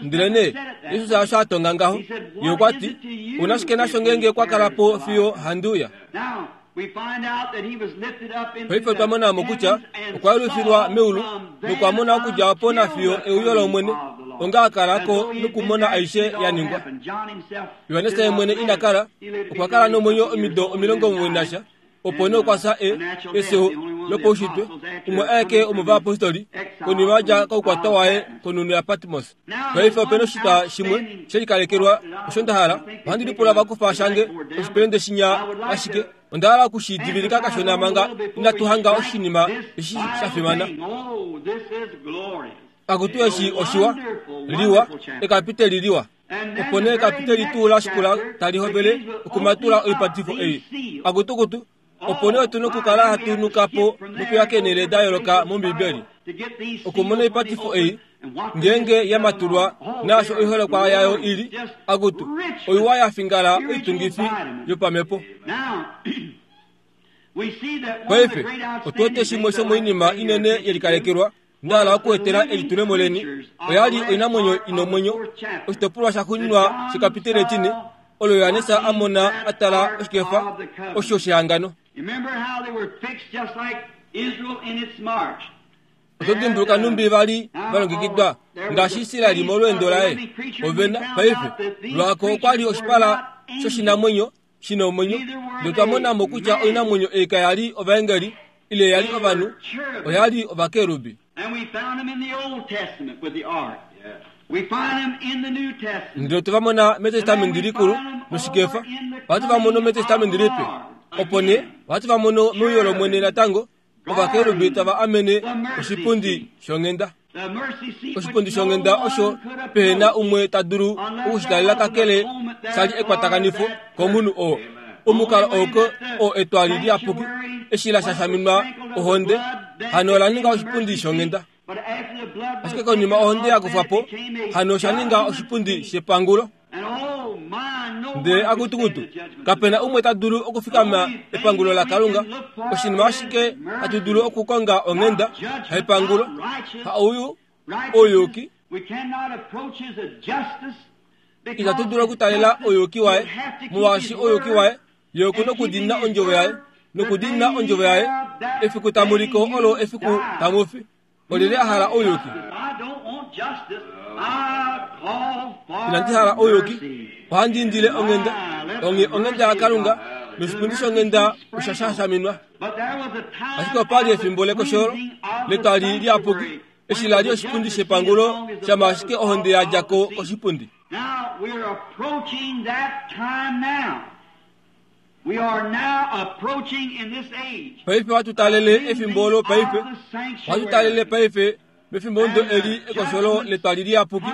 Ndelenee Jesus osho a tonga ngaho. Ye okwa ti, Ou na shike nasho ngeenge okwa kala po fiyo handi uya? Paife otwa mona mo kutya okwa yelufilwa meulu nokwa mona okudja opo nafiyo euyo lOmwene, onga a kala ko nokumona aishe ya ningwa. Johannes ye mwene ina kala, okwa kala nomwenyo omido 90 nasha, Opo nee okwa fya e efyo lopaushitwe, umwe aeke womovayapostoli, konima a dja koukwatwa waye konhunhu yaPatmos. Paife ope na oshitwa shimwe she likalekelwa osho nda hala. Ohandi lipula va kufa shange oshipelende shinya ashike onda hala oku shi divilika kashona manga inatu hanga oshinima eshi sha fimana. Akutu eshi oshiwa, liwa, ekapiteli liwa. Opo nee ekapiteli tuu la shikula tali hovele okumatula oipatifo ei. Akutukutu, opo nee otu na okukala hatu nuka po nokuya keenhele da yooloka mOmbibeli okumona oipatifo ei ngeenge ya matulwa naasho oiholekwa yayo i li. Akutu, oiwa ya fingala oitungifi yopamhepo. Paife, otu wete shimwe shomoinima inene ye likalekelwa Nda hala okuetela elitulemo leni. Oya li oinamwenyo i nomwenyo. Oshitopolwa shaxuuninwa shekapiteli etine, olo Johannes a mona a tala oshikefa osho shehangano. Oto dimbuluka nhumbi va li va longekidwa ngaashi Israel molweendo laye? Ove na, paife, lwako okwa li oshipala shoshinamwenyo. shi na omwenyo. Ndele otwa mona mo kutya oinamwenyo ei kaya li ovaengeli ile ya li ovanhu, oya li ovakerubi. Ndele otwe va mona mEtestamenti Likulu noshikefa, ohatu va mono mEtestamenti Lipe. Opo nee ohatu va mono meuyo lOmwene natango, ovakerubi tava amene oshipundi shonghenda. Oshipundi shonghenda osho pehe na umwe ta dulu oku shi talela kakele sha li ekwatakanifo komunhu oo. Omukalo oo oo etwali liyapuki eshi la shashaminwa ohonde, hano ola ninga oshipundi shonghenda. Ashike konima ohonde ya kufwa po, hano osha ninga oshipundi shepangulo. Ndele akutukutu, kape na umwe ta dulu okufikama epangulo laKalunga. Oshinima ashike hatu dulu okukonga onghenda, haepangulo, ha ouyu, ouyuki. Itatu dulu okutalela ouyuki waye, molwaashi ouyuki waye ye oku nokudiinina ondjovo yaye, nokudiinina ondjovo yaye. Efiku tamu li ko olo efiku tamu fi. Olyelye a hala ouyuki? Inandi hala ouyuki, ohandi indile onghenda. Onghee onghenda yaKalunga noshipundi shonghenda osha shashaminwa. Ashike opa li efimbo lekosholo letwali liyapuki, eshi la li oshipundi shepangulo shama ashike ohonde ya dja ko koshipundi. Paife ohatu talele efimbo olo paife. Ohatu talele paife mefimbo eli ekosholo letwali liyapuki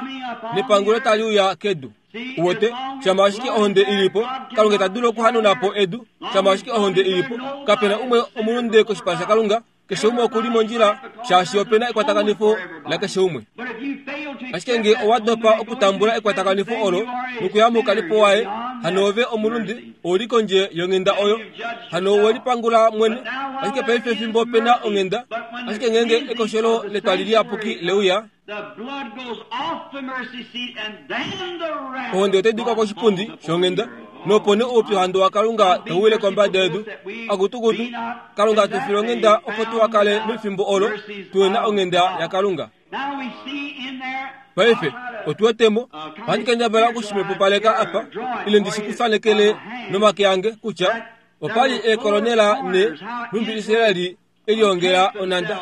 nepangulo tali uya kedu. Uwete, shama ashike ohonde i li po, Kalunga ita dulu okuhanuna po edu. Shama ashike ohonde i li po, kape na umwe omulunde koshipala shaKalunga. Keshe umwe oku li mondjila, shaashi ope na ekwatakanifo lakeshe umwe. Ashike nge owa dopa okutambula ekwatakanifo olo nokuya moukalipo waye, hano ove omulunde, ou li kondje yonghenda oyo. Hano owe lipangula mwene. Ashike paife fimbo pe na onghenda, ashike ngeenge ekosholo letwali liyapuki le uya, Ohonde otai dikwa koshipundi shonghenda, nopo nee oupyuhandu waKalunga tau wile kombada yedu. Akutukutu, Kalunga tu file onghenda opo tuha kale mefimbo olo tuhe na onghenda yaKalunga. Paife, otu wete mo, ohandi kendabala oku shi mepupaleka apa, ile ndi shi ku fanekele nomake ange, kutya opa li eekolonela ne, nhumbi Israel e liongela onhanda.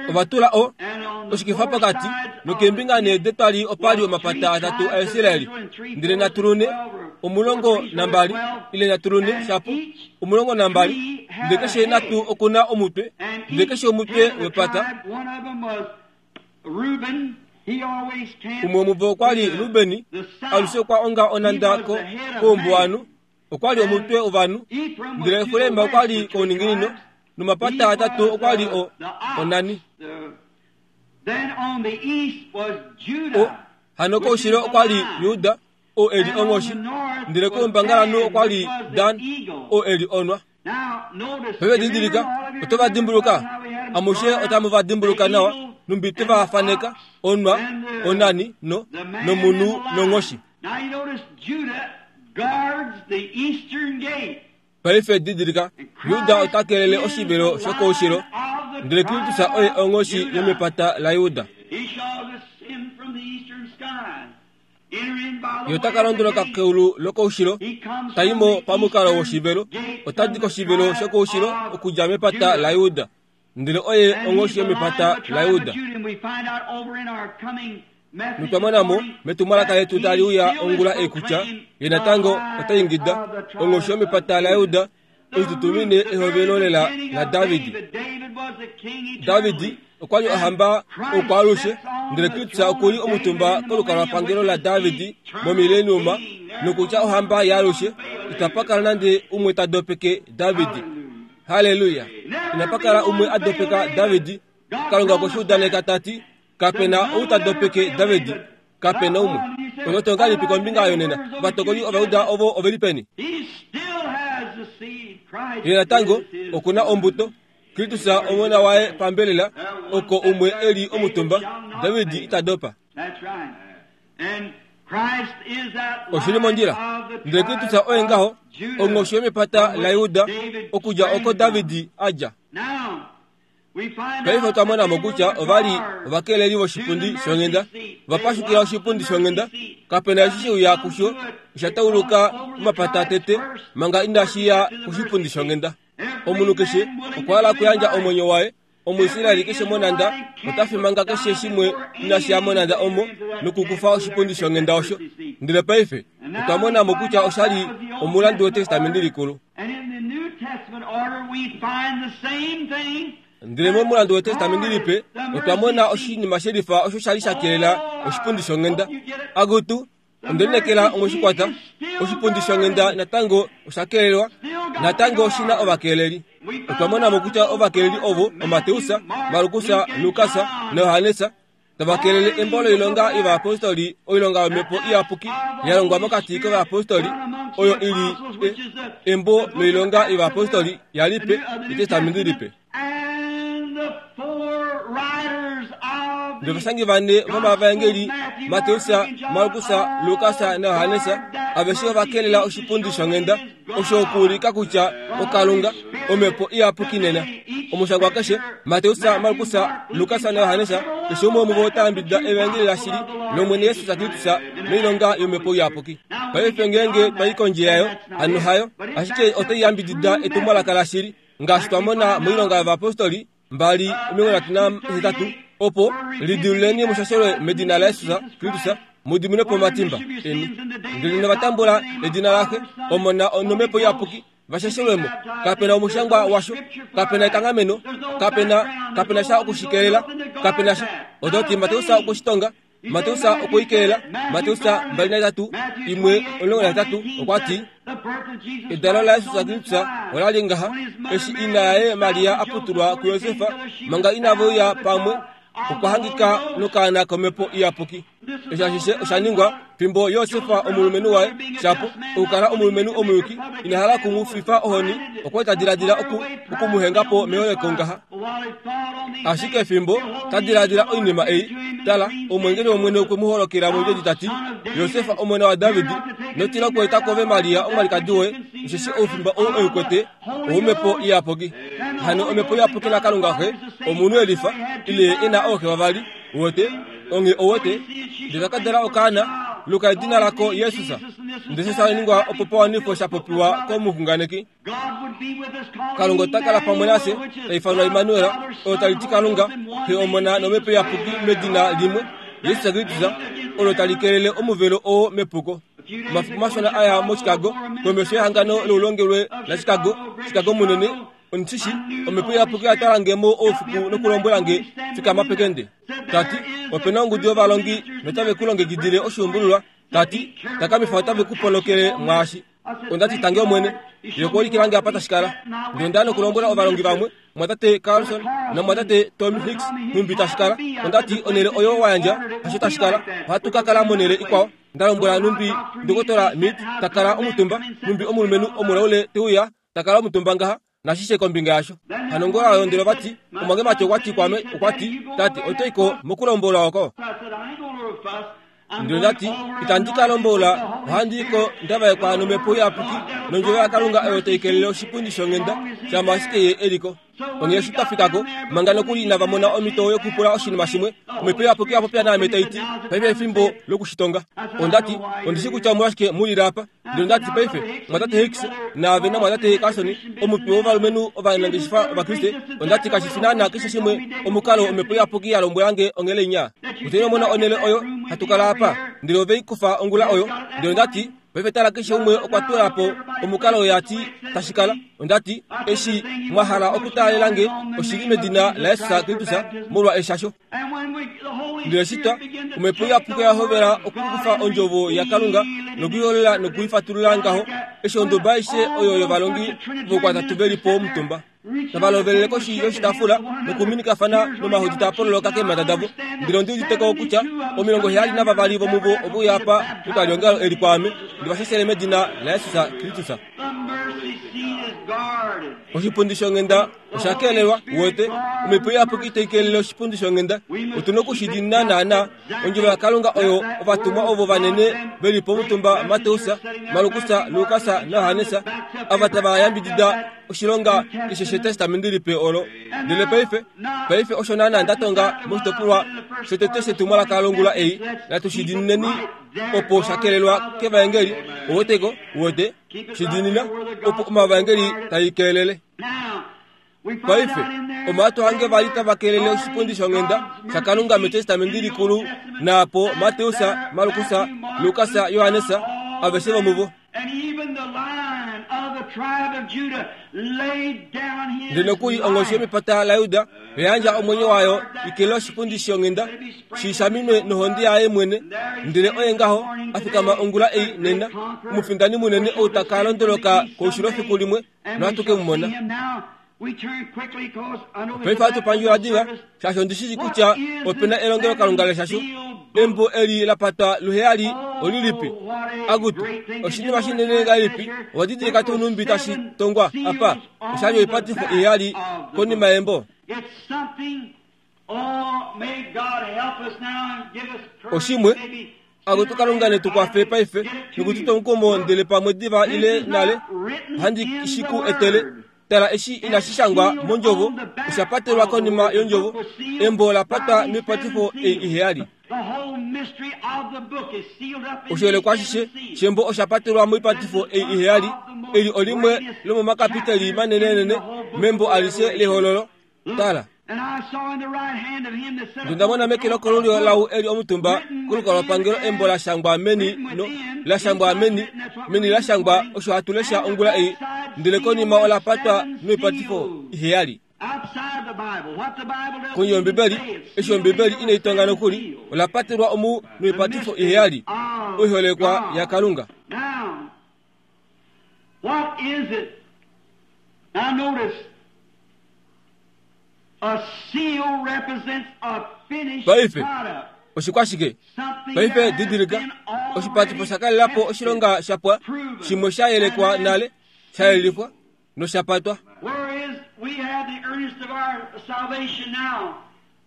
Ova tula o oshikifa pokati, nokeembinga nee detwali opa li omapata atatu aIsraeli. Ndele natulune 12 ile natulune shapo 12, ndele keshe natu oku na omutwe, ndele keshe omutwe wepata. Umwe womuvo okwa li Rubeni, alushe okwa onga onhanda ko koumbuwanhu. Okwa li omutwe wovanhu, ndele Efraim okwa li kouninginino, nomapata atatu okwa li o onani. O, hano koushilo okwa li Juda, oo e li onghoshi, ndele koumbangalanhu okwa li Dan, oo e li onwa. Paife didilika, oto va dimbuluka? Amushe otamu va dimbuluka nawa, numbi twe va faneka, onwa, onani, no, nomunhu nonghoshi. Paife didilika, Juda ota kelele oshivelo shokoushilo, ndele Kristus oye onghoshi yomepata laJuda. Ye ota ka londoloka keulu lokoushilo, ta i mo pamukalo woshivelo, ota di koshivelo shokoushilo okudja mepata laJuda. Ndele oye onghoshi yomepata laJuda. Notwa mona mo metumwalaka letu tali uya ongula ei kutya ye natango ota ingida onghoshi yomepata laJuda oitutumine ehovelo lela laDavid. David okwa li ohamba oukwaalushe, ndele Kristus oku li omutumba kolukalwapangelo laDavid momileniuma, nokutya ohamba yaalushe, itapa kala nande umwe ta dopeke David. Halleluya! Inapa kala umwe a dopeka David. Kalunga okwe shi udaneka ta ti, Kape na ou ta dopeke David. Kape na umwe. Oto ti ongahelipi kombinga yonena? Ovatokoli Ovajuda ovo ove li peni? Ye natango oku na ombuto, Kristus Omona waye pambelela, oko umwe e li omutumba. David ita dopa. Oshi li mondjila. Ndele Kristus oye ngaho, onghoshi yomepata laJuda, okudja oko David a dja. Paife otwa mona mo kutya ova li ovakeleli voshipundi shonghenda, va pashukila oshipundi shonghenda. Kape na eshi she uya kusho, osha tauluka omapata tete manga inashi ya koshipundi shonghenda. Omunhu keshe okwa hala okuyandja omwenyo waye. Omuisraeli keshe monhanda ota fi manga keshe shimwe inashi ya monhanda omo nokukufa oshipundi shonghenda osho. Ndele paife otwa mona mo kutya osha li omulandu wEtestamenti Likulu. Ndele momulandu wEtestamenti Lipe otwa mona oshinima shelifa osho sha li sha kelela oshipundi shonghenda. Akutu, onde lineekela omwe shi kwata. Oshipundi shonghenda natango osha kelelwa, natango oshi na ovakeleli. Otwa mona mo kutya ovakeleli ovo oMateus, Markus, Lukas naJohannes, tava kelele embo loilonga yovayapostoli, oilonga yomhepo iyapuki ya longwa mokati kovayapostoli, oyo i li e, embo loilonga yovayapostoli yalipe, Etestamenti Lipe. Ndovashangi vane vomavaengeli Mateus, Markus, Lukas naJohannes aveshe ova kelela oshipundi shonghenda osho okuulika kutya oKalunga omhepo iyapuki nena. Omushangwa keshe Mateus, Markus, Lukas naJohannes keshe umwe womuvo ota yambidida evaengeli lashili lOmwene Jesus Kristus noilonga yomhepo iyapuki. Paife ngeenge twa i kondje yayo, hano hayo, ashike otai yambidida etumwalaka lashili. Ngaashi twa mona moilonga yovayapostoli 2:38, opo lidiluleni mushashelwe medina laJesus Kristus mu diminwe po omatimba eni, ndele nova tambula edina laXe, Omona nomhepo Iyapuki, va shashelwe mo. Kape na omushangwa washo, kape na ekanghameno, kape na, kape na sha oku shi kelela, kape na sha. Oto ti Mateus okwe shi tonga, Mateus okwe i kelela, Mateus 23, 1-18, okwa ti, Edalo laJesus Kristus ola li ngaha, eshi ina yaye Maria a putulwa kuJosef, manga inave uya pamwe, okwa hangika nokaana komhepo iyapuki. Eshi ashishe osha ningwa fimbo Josef omulumenhu waye, shapo okukala omulumenhu omuyuki, ina hala oku mu fifa ohoni, okwa li ta diladila oku, oku mu henga po meholeko ngaha. Ashike fimbo ta diladila oinima ei, tala, omweengeli wOmwene okwe mu holokela mondjodi ta ti, Josef omona waDavid, ino tila okweeta kwoove Maria omwalikadi woye, osheshi oufimba ou e u kwete owomhepo iyapuki. Hano omhepo iyapuki naKalunga Xe, omunhu e lifa, ile e na ooxe vavali, uwete, onghee ouwete, ndele ta ka dala okaana, luka edina lako Jesus. Ndele osho sha ningwa opo pa wanifwe sha popiwa komuxunganeki. Kalunga ota kala pamwe nafye, ta ifanwa Immanuel, olo tali ti Kalunga, Xe Omona nOmhepo Iyapuki medina limwe, Jesus Kristus, olo tali kelele omuvelo oo mepuko. Omafiku mashona a ya moChicago, komesho yehangano loulongelwe laChicago, Chicago munene, Ondishi, Omhepo Iyapuki oya twala nge mo oufiku nokulombwela nge, Fikama pekende. Ta ti, Ope na ongudu yovalongi notave ku longekidile oshuumbululwa. Ta ti, Takamifa otave ku ponokele mwaashi. Onda ti, Tangi Omwene. Ye okwa ulikila nge apa tashi kala. Ndele onda ya nokulombwela ovalongi vamwe, Mumwatate Carlson naMumwatate Tommy Hicks, nhumbi tashi kala. Onda ti, Onhele oyo wa yandja, hasho tashi kala. Ohatu ka kala monhele ikwao. Nda lombwela nhumbi Ndokotola Mead ta kala omutumba, nhumbi omulumenhu omulaule te uya, ta kala omutumba ngaha, nashishe kombinga yasho. Hano ongula oyo ndele vati, omwangemati okwa ti kwaame, okwa ti, Tate, oto i ko mokulombola oko? Ndele nda ti, Itandi ka lombola, ohandi i ko nda vaekwa nomhepo iyapuki, nondjovo yaKalunga oyo tai kelele oshipundi shonghenda, shama ashike ye e li ko. Onghee eshi twa fika ko, manga nokuli inava mona omhito yokupula oshinima shimwe, omhepo iyapuki oya popya naame tai ti, Paife efimbo loku shi tonga. Onda ti, Ondi shii kutya omolwashike mu lile apa. Ndele onda ti, Paife, Mumwatate Hicks, naave naMumwatate Carlson, omutwe wovalumenhu ovanangeshefa Ovakriste, onda ti, kashi fi naanaa keshe shimwe omukalo Omhepo Iyapuki ya lombwela nge onhele inya. Otwa mona onhele oyo hatu kala apa. Ndele ove i kufa ongula oyo. Ndele onda ti, Paife tala keshe umwe okwa tula po omukalo oyo a ti tashi kala. Onda ti, Eshi mwa hala okutaalela nge oshili medina laJesus Kristus molwa eshasho. Ndele shitwa, Omhepo Iyapuki oya hovela okukufa ondjovo yaKalunga nokuiholola nokuifatulula ngaho, eshi onduba aishe oyo yovalongi voukwatatu ve li po omutumba, tava lovelele koshi yoshitaafula nokuminikafana nomahodi taa pololoka keemhata davo. Ndele ondi udite ko kutya 72 vomuvo ove uya apa metwaliongalo eli kwaame, ndi va shashele medina laJesus Kristus. Oshipundi shonghenda osha kelelwa, uwete, Omhepo Iyapuki tai kelele oshipundi shonghenda. Otu na oku shi diinina naana. Ondjovo yaKalunga oyo ovatumwa ovo vanene ve li pomutumba Mateus, Markus, Lukas naJohannes, ava tava yambidida oshilonga keshe shEtestamenti Lipe olo. Ndele paife, paife osho naana nda tonga moshitopolwa shotete shetumwalaka longula ei, natu shi diinineni opo sha kelelwa kEvaengeli. Ouweteko? Uwete? Shi diinina opo omavaengeli tai kelele. Paife, omo hatu hange va li tava kelele oshipundi shonghenda shaKalunga mEtestamenti Likulu, naapo Mateus, Markus, Lukas, Johannes, aveshe vomuvo. Ndele nokuli onghoshi yomepata laJuda oya yandja omwenyo wayo i kelele oshipundi shonghenda shi shaminwe nohonde yaye mwene. Ndele oye ngaho a fikama ongula ei nena, omufindani munene ou ta ka londoloka koushilo fiku limwe, nohatu ke mu mona. Paife ohatu pandjula diva, shaashi ondi shii kutya ope na elongelokalunga leshasho. Embo eli la patwa luheyali olilipi? Akutu, oshinima shinene ngahelipi! Owa didilika tuu nhumbi tashi tongwa apa? Osha li oipatifo iheyali konima yembo. Oshimwe, Akutu Kalunga ne tu kwafe paife noku tu twa omukumo ndele pamwe diva ile nale ohandi shi ku etele. Tala eshi inashi shangwa mondjovo, osha patelwa konima yondjovo, embo la patwa miipatifo ei iheyali. Oshiholekwa ashishe shembo osha patelwa moipatifo ei iheyali. Eli olimwe lomomakapiteli manenenene membo alishe lehololo. Tala, Ndele onda mona meke lokolulyo lau e li omutumba kolukalwapangelo embo la shangwa meni no la shangwa meni meni la shangwa osho hatu lesha ongula ei, ndele konima ola patwa noipatifo iheyali. Kondje yOmbibeli, eshi Ombibeli inai tonga nokuli, ola patelwa omu noipatifo iheyali, oiholekwa yaKalunga. What is it? Now notice, a seal represents a finished Paife, product. oshikwashike? Something Paife that has didilika, been oshipatifo already sha kalela po oshilonga sha pwa, proven shimwe sha yelekwa and nale, sha yelifwa nosha patwa. Whereas we have the earnest of our salvation now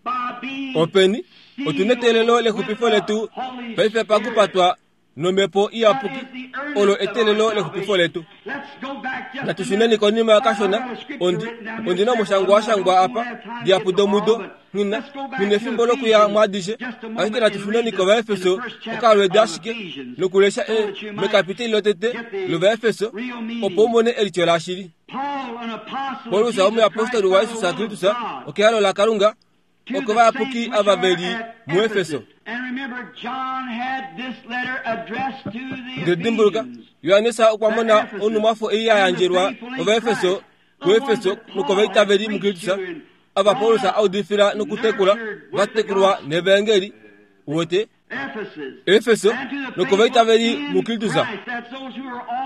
by being Openi, otu neteelelo sealed with lexupifo the letu Holy paife Spirit. pakupatwa nomhepo iyapuki, olo eteelelo lexupifo letu. Natu shuneni konima kashona, ondi, ondi na omushangwa wa shangwa apa, dihapu domudo, nghina, nghina efimbo lokuya mwaadishe, ashike natu shuneni kOvaefeso okalweedi ashike, nokulesha e, mekapiteli lotete lOvaefeso, opo u mone elityo lashili. Paulus omuyapostoli waJesus Kristus okehalo laKalunga, okovayapuki ava ve li muEfeso. Ndele dimbuluka, Johannes okwa mona onhumwafo ei ya yandjelwa Ovaefeso kuEfeso nokovaitaveli muKristus, ava Paulus a udifila nokutekula, va tekulwa nevaengeli. Uwete? Efeso nokovaitaveli muKristus,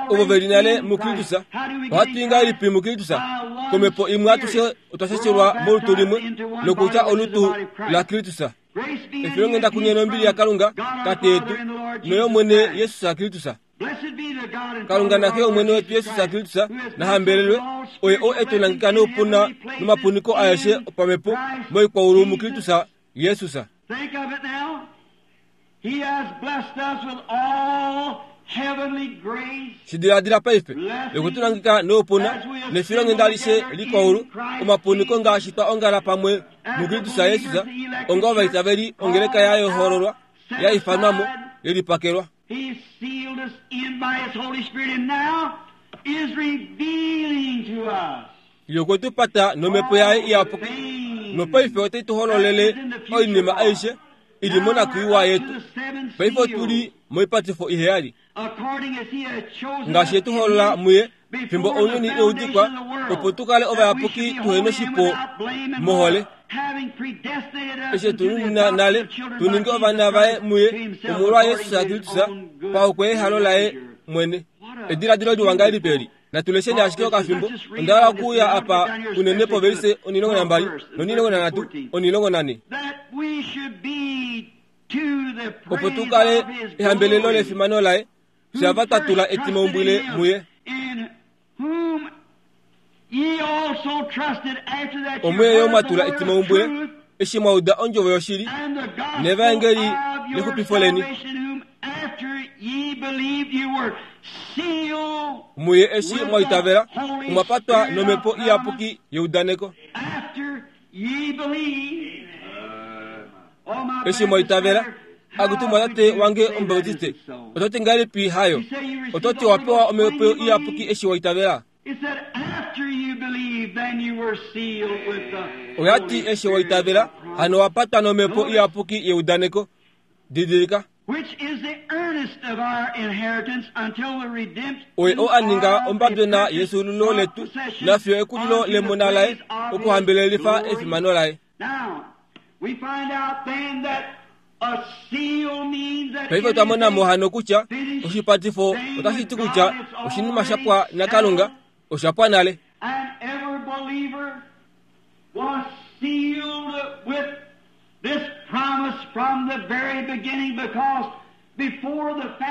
ovo ve li nale muKristus. Ohatu i ngahelipi muKristus? Komhepo imwe atushe otwa shashelwa molutu limwe, nokutya olutu laKristus. Efilonghenda kunye nombili yaKalunga, Tate yetu, noyOmwene Jesus Kristus. Kalunga naXe yOmwene wetu Jesus Kristus na hambelelwe, oye oo e tu nangeka noupuna nomapuniko aeshe opamhepo moikwaulu muKristus Jesus. Think of it now. He has blessed us with all heavenly grace. Shi diladila paife, okwe tu nangeka noupuna nefilonghenda alishe likwaulu, omapuniko ngaashi twa ongala pamwe muKristus Jesus, onga ovaitaveli ongeleka ya yohololwa, ya ifanwa mo, ye lipakelwa. He sealed us in by His Holy Spirit and now is revealing to us Ye okwe tu pata nomhepo yaye iyapuki, nopaife ote tu hololele oinima aishe i li monakwiiwa yetu. Paife otu li moipatifo iheyali. Ngaashi ye tu holola muye fimbo ounyuni inau dikwa, opo tu kale ovayapuki tuhe noshipo mohole. Eshi e tu nunina nale tu ninge ovana vaye muye omolwa Jesus Kristus paokwe yehalo laye mwene. Ediladilo liwa ngahelipi eli! Natu lesheni ashike okafimbo. Onda hala okuuya apa unene povelise 12 no13 14. Opo tu kale ehambelelo lefimano laye, fye ava twa tula etimaumbwile muye. Omuye yo mwa tula etimaumbwile eshi mwa uda ondjovo yoshili nevaengeli lexupifo leni. Muye eshi mwa itavela omwa patwa nomhepo iyapuki yeudaneko. Eshi mwa itavela, akutu mwatate wange Omubautiste, oto ti ngahelipi hayo? Oto ti owa pewa omhepo iyapuki eshi wa itavela? Oya ti eshi wa itavela, hano wa patwa nomhepo iyapuki yeudaneko. Didilika. Oye oo a ninga ombabyona yefyuululo letu nafiyo ekulilo lemona laye okuhambelelifa efimano laye. Paife otwa mona mo hano kutya oshipatifo otashi ti kutya oshinima sha pwa naKalunga osha pwa nale.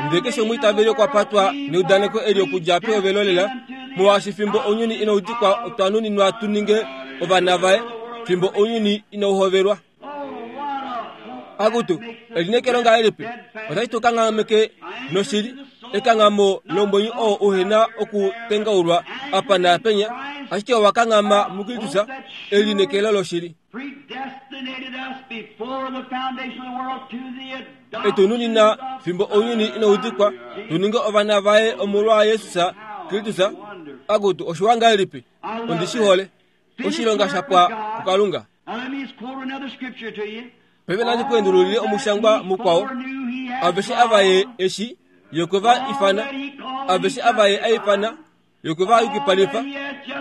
Ndele keshe omwiitaveli okwa patwa neudaneko eli okudja pehovelo lela, molwaashi fimbo ounyuni inau dikwa otwa nuninwa tu ninge ovana vaye fimbo ounyuni inau hovelwa. Akutu, elineekelo ngahelipi! Otashi tu kanghameke noshili, ekanghamo lomwenyo oo uhe na okutengaulwa apa naapenya, ashike owa kanghama muKristus, elineekelo loshili. E tu nunina fimbo ounyuni inau dikwa, tu ninge ovana vaye omolwa Jesus Kristus. Akutu, oshiwa ngahelipi! Ondi shi hole. Oshilonga sha pwa kuKalunga. Paife nandi ku endululile omushangwa mukwao. Aveshe ava ye eshi, ye okwe va ifana. Aveshe ava ye a ifana, ye okwe va yukipalifa.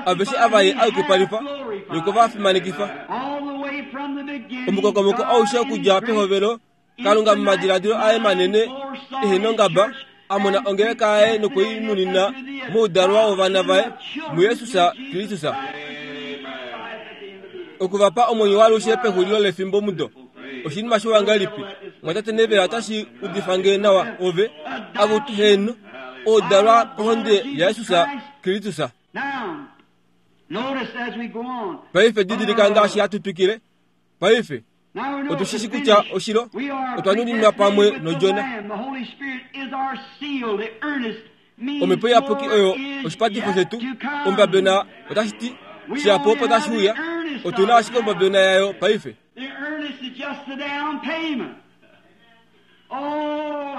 Aveshe ava ye a yukipalifa, ye okwe va fimanekifa. Omukokomoko aushe okudja pehovelo, Kalunga momadiladilo aye manene ehe nongaba, a mona ongeleka yaye nokwe i nunina moudalwa wovana vaye muJesus Kristus, oku va pa omwenyo waalushe pexulilo lefimbo mudo. Oshinima shiwa ngahelipi, mwatate Neville, otashi udifa nge nawa ove, akutu heeno, oudalwa kohonde yaJesus Kristus. Paife didilika ngaashi hatu twikile. Paife otu shi shi kutya oshilo otwa nuninwa pamwe nOdjona. Omhepo Iyapuki oyo oshipatifo shetu. Ombabena otashi ti shihapu opo tashi uya. Otu na ashike ombabena yayo paife.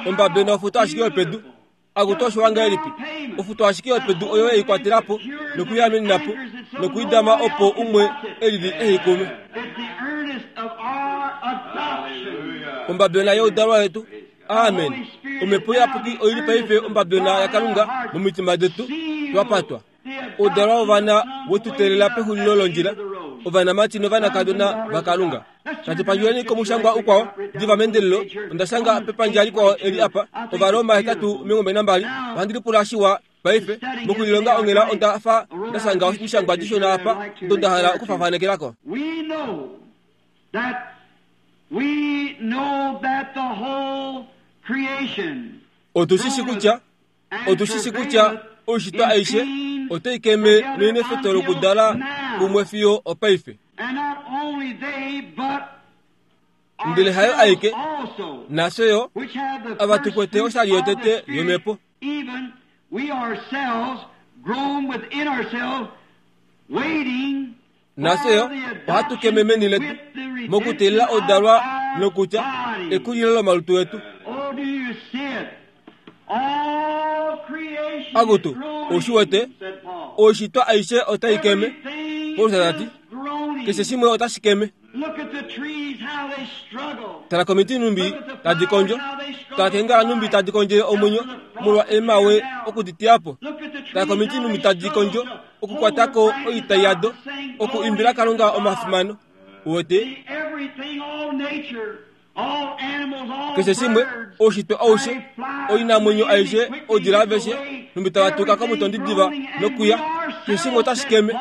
Ombabena ofuto ashike yopedu. Akutu oshiwa ngahelipi! Ofuto ashike yopedu oyo ei kwatela po noku i amenena po noku i dama opo umwe e lili e i kume. Ombabena youdalwa wetu. Amen. Omhepo Iyapuki oi li paife ombabena yaKalunga momitima detu, twa patwa. Oudalwa wovana we tu teelela pexulilo londjila, ovanamati novanakadona vaKalunga. Natu pandjuleni komushangwa ukwao diva meendelelo. Onda shanga pepandja likwao eli apa, Ovaroma 8:22. Ohandi lipula shiwa paife. Mokulilonga onghela onda fa nda shanga omishangwa dishona apa odo nda hala okufafanekelako. ko. We know that we know that the whole creation Otu shi shi kutya Otu shi shi kutya oishitwa aishe otai keme neinefeto lokudala kumwe fiyo opaife. Ndele hayo aike, nafye yo, ava tu kwete oshali yotete yOmhepo. Nafye yo ohatu keme meni letu mokuteelela odalwa nokutya ekulilo lomalutu etu. Akutu, ou shi wete, oishitwa aishe otai keme. Paulus ta ti, keshe shimwe otashi keme. Tala komiti numbi tadi kondjo, tala keengala numbi tadi kondjele omwenyo molwa eemawe oku di teya po. Tala komiti numbi tadi kondjo okukwata ko oitai yado, oku imbila Kalunga omafimano. Uwete? Keshe shimwe, oushitwe aushe, oinamwenyo aishe, oudila aveshe, nhumbi tava tuka komutondi diva nokuya, keshe shimwe otashi keme.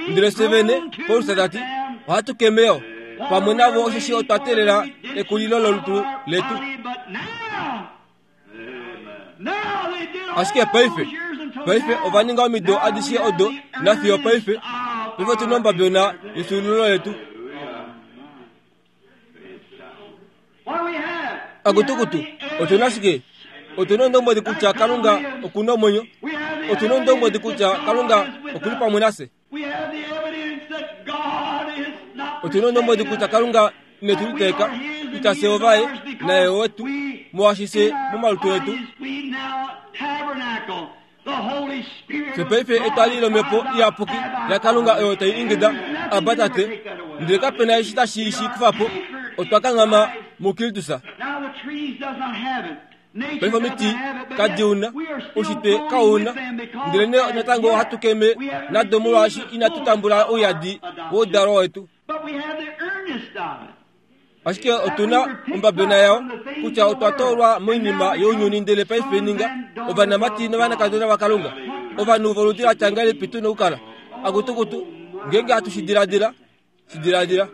Ndele fye vene, Paulus ta ti, ohatu keme yo pamwe navo osheshi otwa teelela ekulilo lolutu letu. Ashike paife, Paife ova ninga omido adishe odo nafiyo paife. Paife otu na ombabyona yefyuululo letu. Akutukutu, otu na shike? Otu na ondombwedi kutya Kalunga oku na omwenyo. Otu na ondombwedi kutya Kalunga oku li pamwe nafye. Otu na ondombwedi kutya Kalunga ine tu liteeka, kutya fye ovaye naye owetu, molwaashi fye momalutu etu. Fye paife etwali lOmhepo Iyapuki yaKalunga oyo tai ingida, Abba, Tate! Ndele kape na eshi tashi shi kufa po. Otwa kanghama muKristus. Paife omiti kadi una, oushitwe kau una, ndelenee natango ohatu keme nado molwaashi inatu tambula ouyadi woudalwa wetu. Ashike otu na ombabena yao kutya otwa toolwa moinima younyuni ndele paife ninga ovanamati novanakadona vaKalunga. Ovanhu voludi la tya ngahelipi tu na okukala? Akutukutu, ngeenge hatu shi diladila, shi diladila.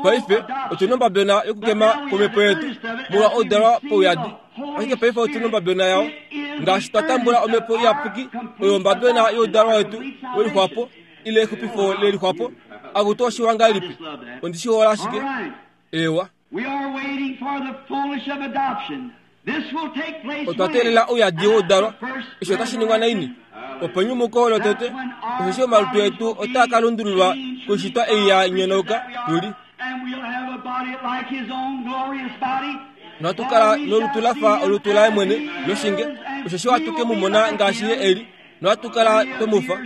Paife otu na ombabena yokukema kwomhepo yetu molwa oudalwa pauyadi. Ashike paife otu na ombabena yao ngaashi twa tambula omhepo iyapuki oyo ombabena youdalwa wetu welixwapo ile exupifo lelixwapo. Akutu oshiwa ngahelipi! Ondi shi hole ashike. Eewa. Otwa teelela ouyadi woudalwa. Eshi otashi ningwa naini? Openyumuko lotete, osheshi omalutu etu otaa ka lundululwa koishitwa ei ya nyonauka tu li. Nohatu kala nolutu la fa olutu laye mwene loshinge, osheshi ohatu ke mu mona ngaashi ye e li, nohatu kala twe mu fa.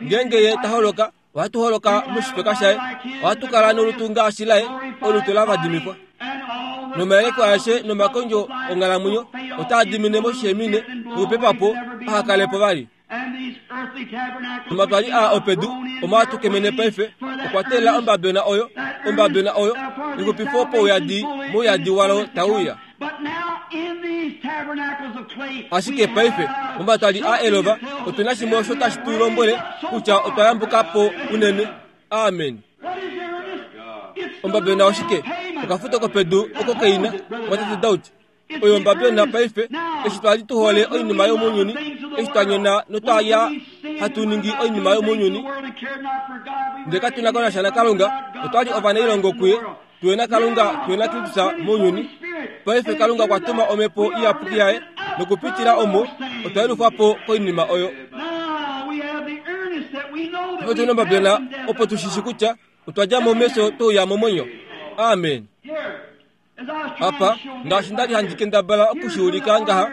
Ngeenge ye ta holoka, Ohatu holoka moshifeka shaye. Ohatu kala nolutu ngaashi laye, olutu la vadimifwa. Nomayeleko aeshe nomakondjo onghalamwenyo otaa dimine moshihemine nokupepa po aha kale po vali. Nomatwali aa opedu omo hatu kemene paife okwa teelela ombabyona oyo, ombabyona oyo, exupifo pouyadi mouyadi walo tau uya. Ashike paife, momatwali a elova, otu na shimwe osho tashi tu lombwele kutya otwa yambuka po unene. Amen. Ombabyona oshike? Okafuto kopedu oko keina, mwatate Daud. Oyo ombabyona paife, eshi twa li tu hole oinima yomounyuni, eshi twa nyona notwa ya hatu ningi oinima yomounyuni, ndele katu na ko nasha naKalunga, otwa li ovanailongo kuye. Tuwe na Kalunga, tuwe na Kristus mounyuni. Paife Kalunga okwa tuma Omhepo Iyapuki yaye, nokupitila omo otwa yelufwa po koinima oyo. Paife otu na ombabyona opo tu shishi kutya otwa dja mo mefyo twe uya momwenyo. Amen. Apa, ngaashi nda li handi kendabala oku shi ulika ngaha,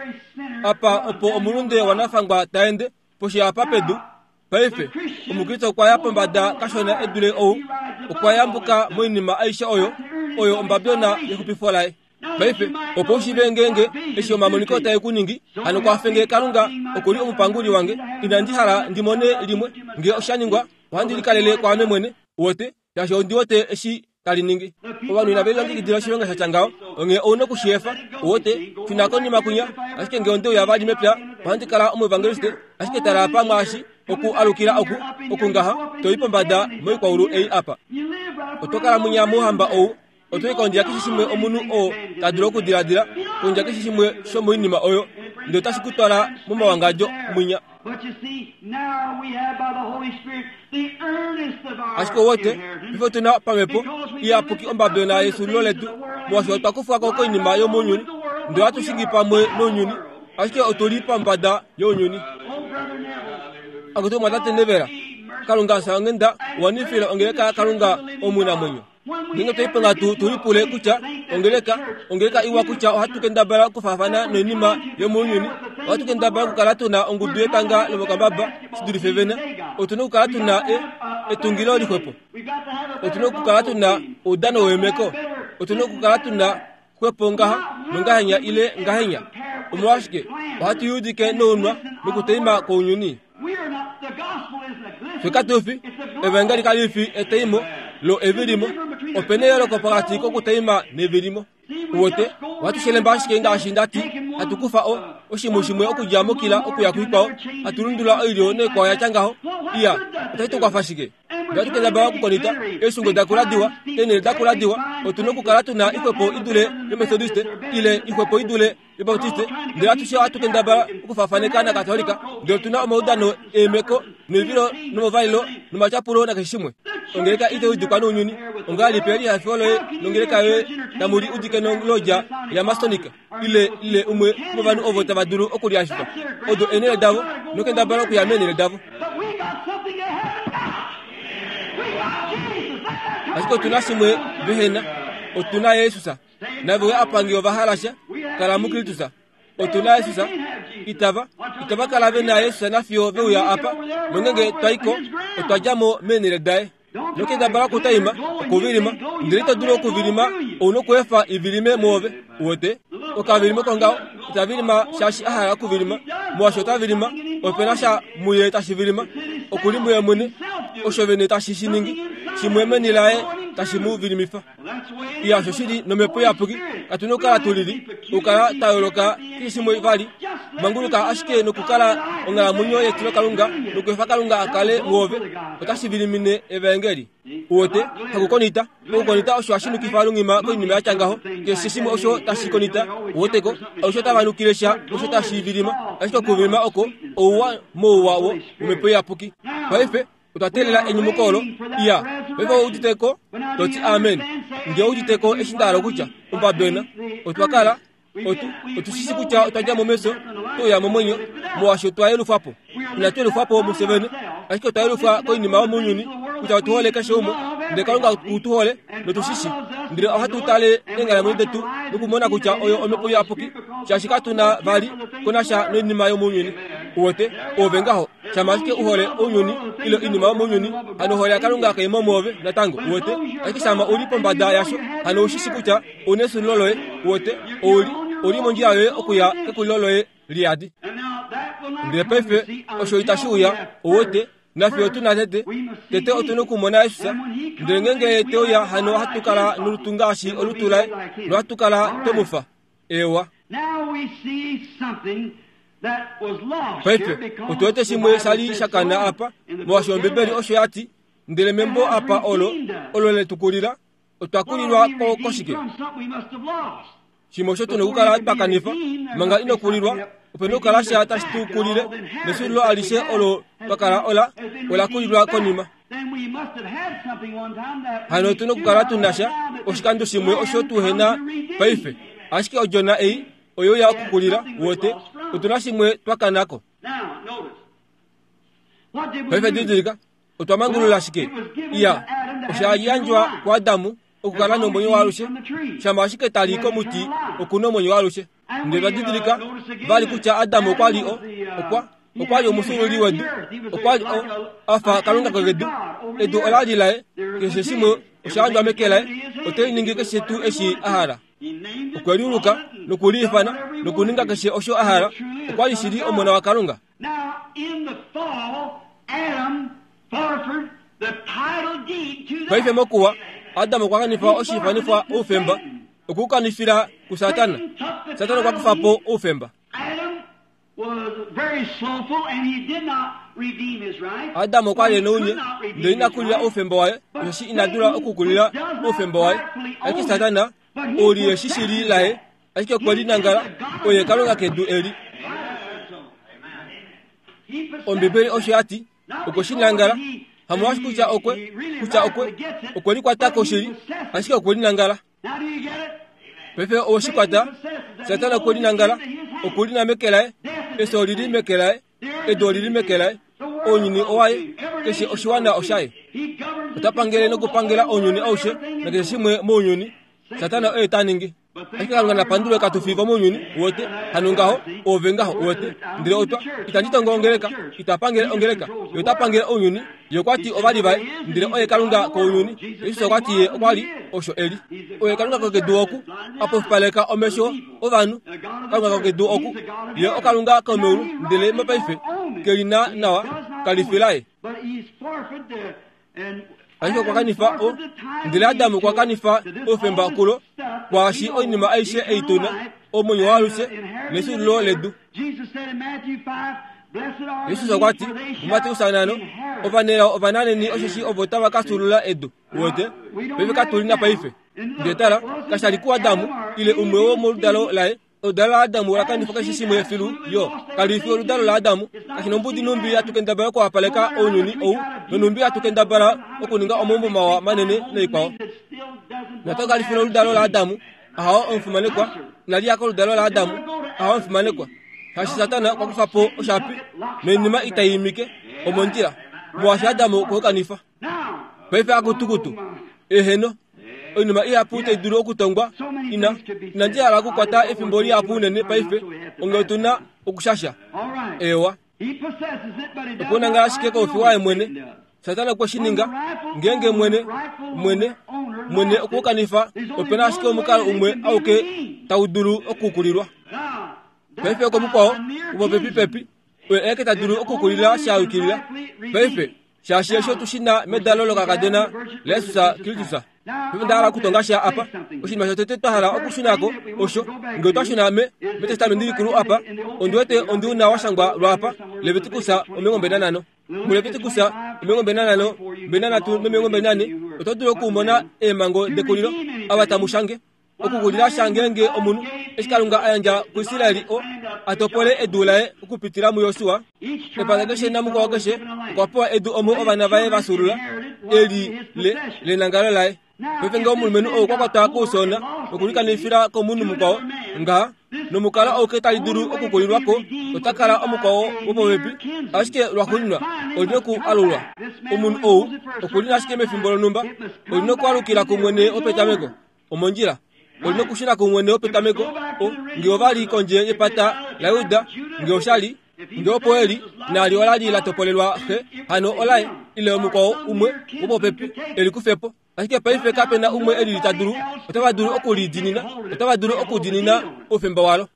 apa opo omulunde wanafangwa ta ende, poshi apa pedu. Paife, Omukriste okwa ya pombada kashona e dule ou, okwa yambuka moinima aishe oyo, oyo ombabyona yexupifo laye. Paife, opo u shiive ngeenge eshi omamoniko tae ku ningi, hano kwafe nge Kalunga oku li omupanguli wange, inandi hala ndi mone limwe. Nge osha ningwa, ohandi likalele kwaame mwene, uwete, shaashi ondi wete eshi tali ningi. Ovanhu inave lilongekidila oshilonga sha tya ngaho, onghee ou na oku shi efa. Uwete, shuna konima kwinya. Ashike nge onde uya vali mepya, ohandi kala omuevangeliste. Ashike tala apa mwaashi, oku alukila oku, oku ngaha, to i pombada moikwaulu ei apa. Oto kala munya mouhamba ou, oto i kondja keshe shimwe omunhu oo ta dulu okudiladila, kondja keshe shimwe shomoinima oyo, ndele otashi ku twala momawangadjo mwinya. Ashike ouwete, paife otu na pamhepo iyapuki ombabyona yesulilo letu, molwaashi otwa kufwa ko koinima yomounyuni, ndele ohatu shingi pamwe nounyuni, ashike otu li pombada younyuni. Akutu mwatate Nevera, Kalunga fya onghenda, wanifile ongeleka yaKalunga omunamwenyo. Ngeenge otwe liponga tu, tu lipule kutya ongeleka, ongeleka iwa kutya ohatu kendabala okufaafana noinima yomounyuni, ohatu kendabala okukala tu na ongudu yetanga lomokambaba shi dulife vene. Otu na okukala tu na e, etungilo lixwepo. Otu na okukala tu na oudano weemeko. Otu na okukala tu na xwepo ngaha nongahenya ile ngahenya. Omolwashike ohatu yudike nounwa nokuteima kounyuni? Fye katu fi, evangeli kali fi eteimo lo evilimo. Ope na eyooloko pokati kokuteima nevilimo. Uwete, ohatu shelemba ashike ngaashi nda ti, hatu kufa o, oshimhu shimwe okudja mokila okuya kuikwao, hatu lundulula oilyo noikwao ya tya ngaho. Iya, otashi tu kwafa shike? Ngee ohatu kendabala okukonita eeshungo da kula diwa, eenhele da kula diwa, otu na okukala tu na ixwepo i dule yOmethodiste ile ixwepo i dule yObaptiste, ndele atushe ohatu kendabala okufaafaneka naKatolika, ndele otu na omaudano eemeko noivilo nomovailo nomatyapulo nakeshe shimwe. Ongeleka itai udikwa nounyuni. Ongahelipi elihafifo loye nongeleka yoye tamu li udike nolodja yaMasonic ile ile umwe womovanhu ovo tava dulu okulihafifa? Odo eenhele davo, nokendabala okuya meenhele davo. Ashike otu na shimwe vehe na. Otu na Jesus. Nave uya apa nge ova hala sha, kala muKristus. Otu na Jesus. Itava, itava kala ve na Jesus nafiyo ve uya apa. Nongenge twa i ko, otwa dja mo meenhele daye. Nokendabala okutaima, okuvilima, ndele ito dulu okuvilima, ou nokuefa i vilime mwoove. Uwete? Okavilimo kongaho, ita vilima shaashi a hala okuvilima. Molwaashi ota vilima, ope na sha muye tashi vilima. Oku li muye mwene, osho vene tashi shi ningi, shimwe meni laye tashi mu vilimifa. Iya, osho shili nomhepo iyapuki katu na okukala tu lili, okukala twa yooloka keshe shimwe vali. Manguluka ashike nokukala onghalamwenyo yetilokalunga nokuefa Kalunga a kale mwoove, otashi vilimine evaengeli. Uwete, hakukonita. Okukonita osho hashi nukifa lunghima koinima ya tya ngaho. Keshe shimwe osho tashi konita, uweteko, osho tava nukile sha osho tashi vilima. Ashike okuvilima oko ouwa mouwa wo womhepo iyapuki. Paife, Otwa teelela enyumuko olo. Iya, paife ou udite ko? To ti amen. Nge ou udite ko eshi nda hala okutya, ombabena. Otwa kala, otu, otu shi shi kutya otwa dja mo mefyo, twe uya momwenyo, molwaashi otwa yelufwa po. Inatu yelufwa po mufye vene, ashike otwa yelufwa koinima yomounyuni, kutya otu hole keshe umwe, ndele Kalunga oku tu hole, notu shi shi. Ndele ohatu tale eenghalamwenyo detu nokumona kutya oyo Omhepo Iyapuki, shaashi katu na vali ko nasha noinima yomounyuni. Uwete, oove ngaho. Shama ashike u hole ounyuni ile oinima yomounyuni, hano ohole yaKalunga kai mo mwoove natango. Uwete? Ashike shama u li pombada yasho, hano ou shi shi kutya ou na esulilo loye. Uwete? Ou li, ou li mondjila yoye okuya kekulilo loye liyadi. Ndele paife osho itashi uya, uwete, nafye otu na tete, tete otu na okumona Jesus. Ndele ngeenge ye te uya, hano ohatu kala nolutu ngaashi olutu laye, nohatu kala twe mu fa. Eewa. Paife, otu wete shimwe sha li sha kana apa, molwaashi Ombibeli osho ya ti, Ndele membo apa olo, olo le tu kulila, otwa kulilwa ko koshike? Shimwe osho tu na okukala twa kanifa, manga ino kulilwa, ope na okukala sha tashi tu kulile, nesulilo alishe olo twa kala ola, ola kulilwa konima. Hano otu na okukala tu na sha oshikando shimwe osho tu he na paife. Ashike odjona ei oyo ya okukulila, wote, otu na shimwe twa kana ko. Paife didilika, otwa mangulula shike? Iya, osha yandjwa kuAdamu okukala nomwenyo waalushe, shama ashike ta li komuti oku na omwenyo waalushe. Ndele twa didilika vali kutya Adam okwa li o, okwa, okwa li omufyuululi wedu, okwa li o, a fa Kalunga kedu. Edu ola li laye, keshe shimwe osha yandjwa meke laye, ote li ningi keshe tuu eshi a hala. Okwe liuluka noku li ifana nokuninga keshe osho a hala. Okwa li shili Omona waKalunga. Paife mokuwa, Adam okwa kanifa oshiifanifwa oufemba, okwe u kanifila kuSatana. Satana okwa kufa po oufemba. Adam okwa li e nounye, ndele ina kulila oufemba waye, osheshi ina dula okukulila oufemba waye. Ashike Satana, ou li eshi shili laye, ashike okwe li nangala, oye kalunga kedu eli. Ombibeli osho ya ti, okwe shi nangala, hamolwaashi kutya okwe, kutya okwe, okwe likwata ko shili, ashike okwe li nangala. Paife owe shi kwata, Satana okwe li nangala, oku li na meke laye, efyo oli li meke laye, edu oli li meke laye, ounyuni owaye, keshe oshiwana oshaye. Ota pangele nokupangela ounyuni aushe nakeshe shimwe mounyuni. Satana oye ta ningi. Ashike Kalunga na pandulwe katu fi vomounyuni, uwete, hano ngaho, oove ngaho, uwete. Ndele otwa, itandi tongo ongeleka, ita pangele ongeleka, ye ota pangele ounyuni. Ye okwa ti ova li vaye, ndele oye Kalunga kounyuni. Jesus okwa ti ye okwa li osho e li. Oye Kalunga kokedu oku, a pofipaleka omesho ovanhu. Kalunga kokedu oku, ye oKalunga komeulu, ndele mopaife ke li na nawa, kali fi laye. Ashike okwa kanifa o, ndele Adam okwa kanifa oufemba kulo, kwaashi oinima aishe ei tu na, omwenyo waalushe nefyuululo ledu. Jesus okwa ti muMateus 5, Ovanelao ovananheni osheshi ovo tava ka fyuulula edu. Uwete? Paife katu li na paife. Ndele tala, kasha li kuAdamu, ile umwe womoludalo laye. Oludalo laAdamu ola kanifa keshe shimwe filu, yo. Kali fi oludalo laAdamu. Kashi nombudi nhumbi hatu kendabala okuwapaleka ounyuni ou, nonhumbi hatu kendabala okuninga omaumbo mawa manene naikwao. Natango kali fi oludalo laAdamu. Ahawo omufimanekwa. Inali ya koludalo laAdamu. Ahawo omufimanekwa. Shaashi Satana okwa kufa po oshapi noinima itai imike omondjila, molwaashi Adamu okwe u kanifa. Paife akutukutu, eheno, oinima ihapu tai dulu okutongwa, ina, inandi hala okukwata efimbo lihapu unene paife, onge otu na okushasha. Eewa. Oku na ngaa ashike koufi waye mwene. Satana okwe shi ninga. Ngeenge mwene, mwene, mwene okwe u kanifa, ope na ashike omukalo umwe auke tau dulu okukulilwa. Paife okomukwao, wopopepipepi, oye aeke ta dulu okukulila sha yukilila. Paife, shaashi eshi otu shi na medalo lokakadona laJesus Kristus. Paife onda hala okutonga sha apa. Oshinima shotete twa hala okushuna ko osho, nge otwa shuna me, mEtestamenti Likulu apa, ondi wete ondi u na wa shangwa lwaapa, Levitikus 25. MuLevitikus 25, 23 nomilongo 24, oto dulu okumona eemhango dekulilo, ava tamu shange. Okukulila sha ngeenge omunhu, eshi Kalunga a yandja kuIsrael o a topole edu laye okupitila muJosua, epata keshe namukwao keshe okwa pewa edu omo ovana vaye va fyuulula, eli le lenangalo laye. Paife ngee omulumenhu ou okwa kwatwa koufyoona nokulikanifila komunhu mukwao ngaha, nomukalo auke tali dulu okukulilwa ko, ota kala omukwao wopopepi, ashike lwaxuuninwa oli noku alulwa. Omunhu ou oku li ashike mefimbo lonhumba, oli nokualukila kumwene wopetameko. Omondjila, oli nokushuna kumwene wopetameko. O, nge ova li kondje yepata laJuda, nge osha li, nge opo e li, naali ola li la topolelwa xe, hano olaye, ile omukwao umwe wopopepi e li kufe po. Ashike paife kape na umwe e lili ta dulu, otava dulu oku li diinina, otava dulu okudiinina oufemba walo.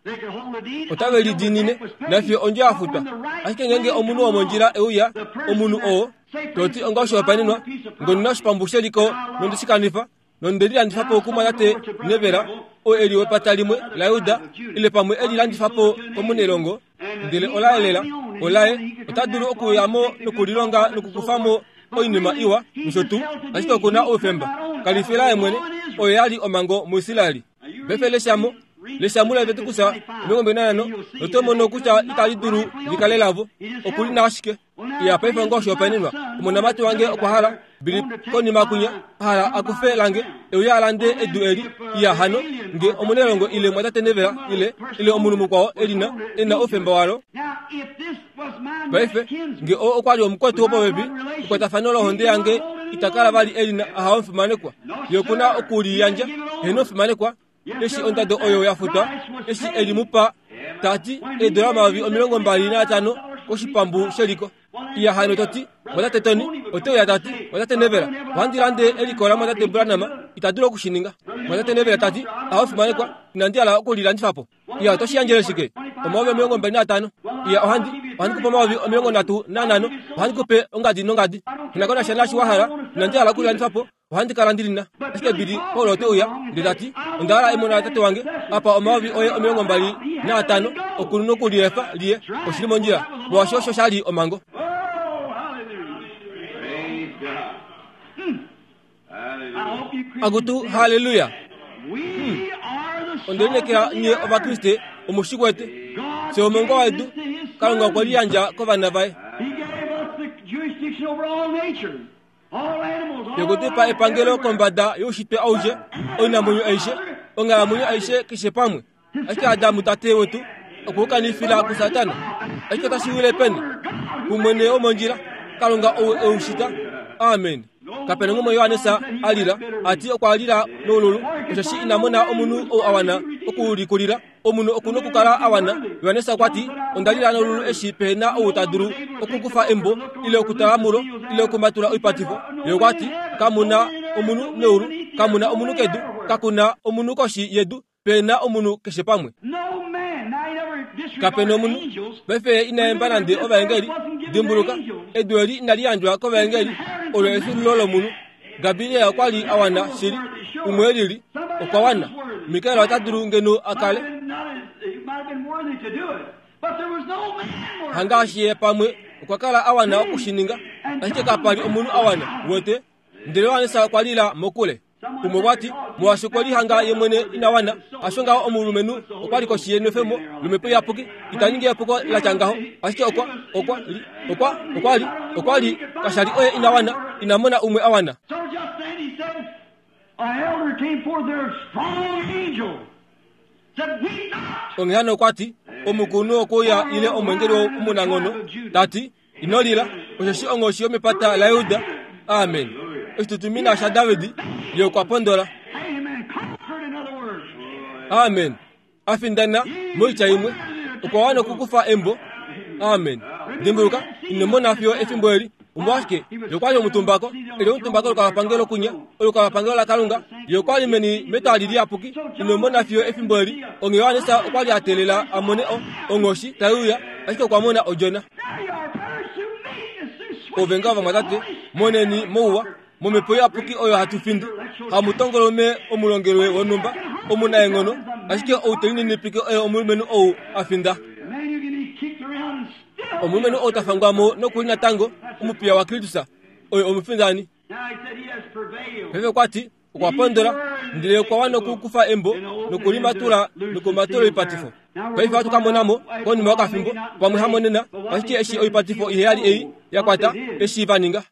Otave li diinine, nafiyo ondjo ya futwa. Ashike ngeenge omunhu womondjila e uya, omunhu oo, to ti onga oshihopaenenwa, ngono na oshipambu sheliko nonde shi kanifa, nonde lilandifa po kumwatate Nevela, oo e li wepata limwe laJuda, ile pamwe e lilandifa po komunelongo, ndele olaye lela, olaye, ota dulu okuya mo nokulilonga nokukufa mo oinima iwa nosho tuu, ashike oku na oufemba. Kali fi laye mwene, oyo ya li omhango muIsrael. Paife lesha mo, lesha muLeviticus 25, noto mono kutya itali dulu li kale lavo. Oku li na ashike. Iya, paife onga oshihopaenenwa, omonamati wange okwa hala, Billy, konima kwinya, a hala a kufe lange, e uye a lande edu eli. Iya, hano, nge omunelongo ile mwatate Neville, ile, ile omunhu mukwao e li na, e na oufemba walo. Paife, nge oo okwa li omukwetu wopopepi, ekwatafano lohonde yange ita kala vali e li na, aha, omufimanekwa. Ye oku na oku li yandja. Heeno, omufimanekwa. Eshi ondado oyo ya futwa, eshi e li mu pa, ta ti, eedola 25,000 koshipambu sheliko. Iya hano to ti, Mwatate Tony, ote uya ta ti, Mwatate Neville, ohandi lande eliko laMwatate Branham, ita dulu oku shi ninga. Mwatate Neville ta ti, Aho fimanekwa, inandi hala oku li landifa po. Iya, oto shi yandjele shike? 25,000. Iya, ohandi, ohandi ku pe 35,000, ohandi ku pe ongadi nongadi. Nghi na ko nasha naashi wa hala, inandi hala oku li landifa po. Ohandi kala ndi li na. Ashike Billy Paul ote uya, ndele ta ti, Onda hala emona latate wange, apa omayovi oye 25, oku nokuliefa liye. Oshi li mondjila, molwaashi osho sha li omhango. Akutu, halleluya! Onde lineekela nye Ovakriste omu shi kwete. Fye omongwa wedu, Kalunga okwe liyandja kovana vaye. Yokutupa epangelo kombada youshitwe aushe, oinamwenyo aishe, onghalamwenyo aishe keshe pamwe. Ashike Adamu tate wetu okwe u kanifila kuSatana. Ashike otashi wile peni? Kumwene womondjila, Kalunga ou e u shita. Amen. Kape na ngumwe Johannes a lila, a ti okwa lila noululu, osheshi ina mona omunhu ou a wana okulikulila. Omunhu oku nokukala a wana. Johannes okwa ti, Onda lila noululu eshi pehe na ou ta dulu okukufa embo ile okutala mulo ile okumatula oipatifo. Ye okwa ti, Kamu na omunhu meulu, kamu na omunhu kedu, kaku na omunhu koshi yedu, pe na omunhu keshe pamwe. Kape na omunhu. Paife ye ina yemba nande ovaengeli. Dimbuluka, edu eli inali yandjwa kovaengeli, olo efyuululo lomunhu. Gabriel okwa li a wana shili, umwe e lili, okwa wana. Mikael ota dulu ngeno a kale. Hangaashi ye pamwe okwa kala a wana oku shi ninga. Ashike kapa li omunhu a wana, uwete. Ndele Johannes okwa lila mokule. Umwe okwa ti, Molwaashi okwe lihanga ye mwene ina wana, hasho ngaho omulumenhu okwa li koshi yenwefemo lomhepo iyapuki, ita ningi epuko la tya ngaho. Ashike okwa, okwa li, okwa, okwa li, okwa li, kasha li oye ina wana, ina mona umwe a wana. Onghee hano okwa ti, Omukulunhu okwe uya ile omweengeli omunanghono, ta ti, Ino lila, osheshi onghoshi yomepata laJuda, amen, oshitutumina shaDavid, ye okwa pondola. Amen. A findana, moitya imwe, okwa wana okukufa embo. Amen. Dimbuluka, ino mona fiyo efimbo eli. Omolwashike? Ye okwa li omutumbako, e li omutumba kolukalwapangelo kunya, olukalwapangelo laKalunga. Ye okwa li meni metwali liyapuki. Ino mona fiyo efimbo eli. Onghee Johannes okwa li a teelela a mone o, onghoshi tai uya, ashike okwa mona odjona. Ove ngaho vamwatate, moneni mouwa, momhepo iyapuki oyo hatu findi, hamutongolume omulongelwe wonhumba omunaenghono, ashike ou te lininipike oye omulumenhu ou a finda. Omulumenhu ou ta fangwa mo nokuli natango omupiya waKristus, oye omufindani. Paife okwa ti, Okwa pondola, ndele okwa wana okukufa embo nokulimatula nokumatula oipatifo. Paife ohatu ka mona mo, konima yokafimbo, pamwe hamonena, ashike eshi oipatifo iheyali ei ya kwata, eshi va ninga.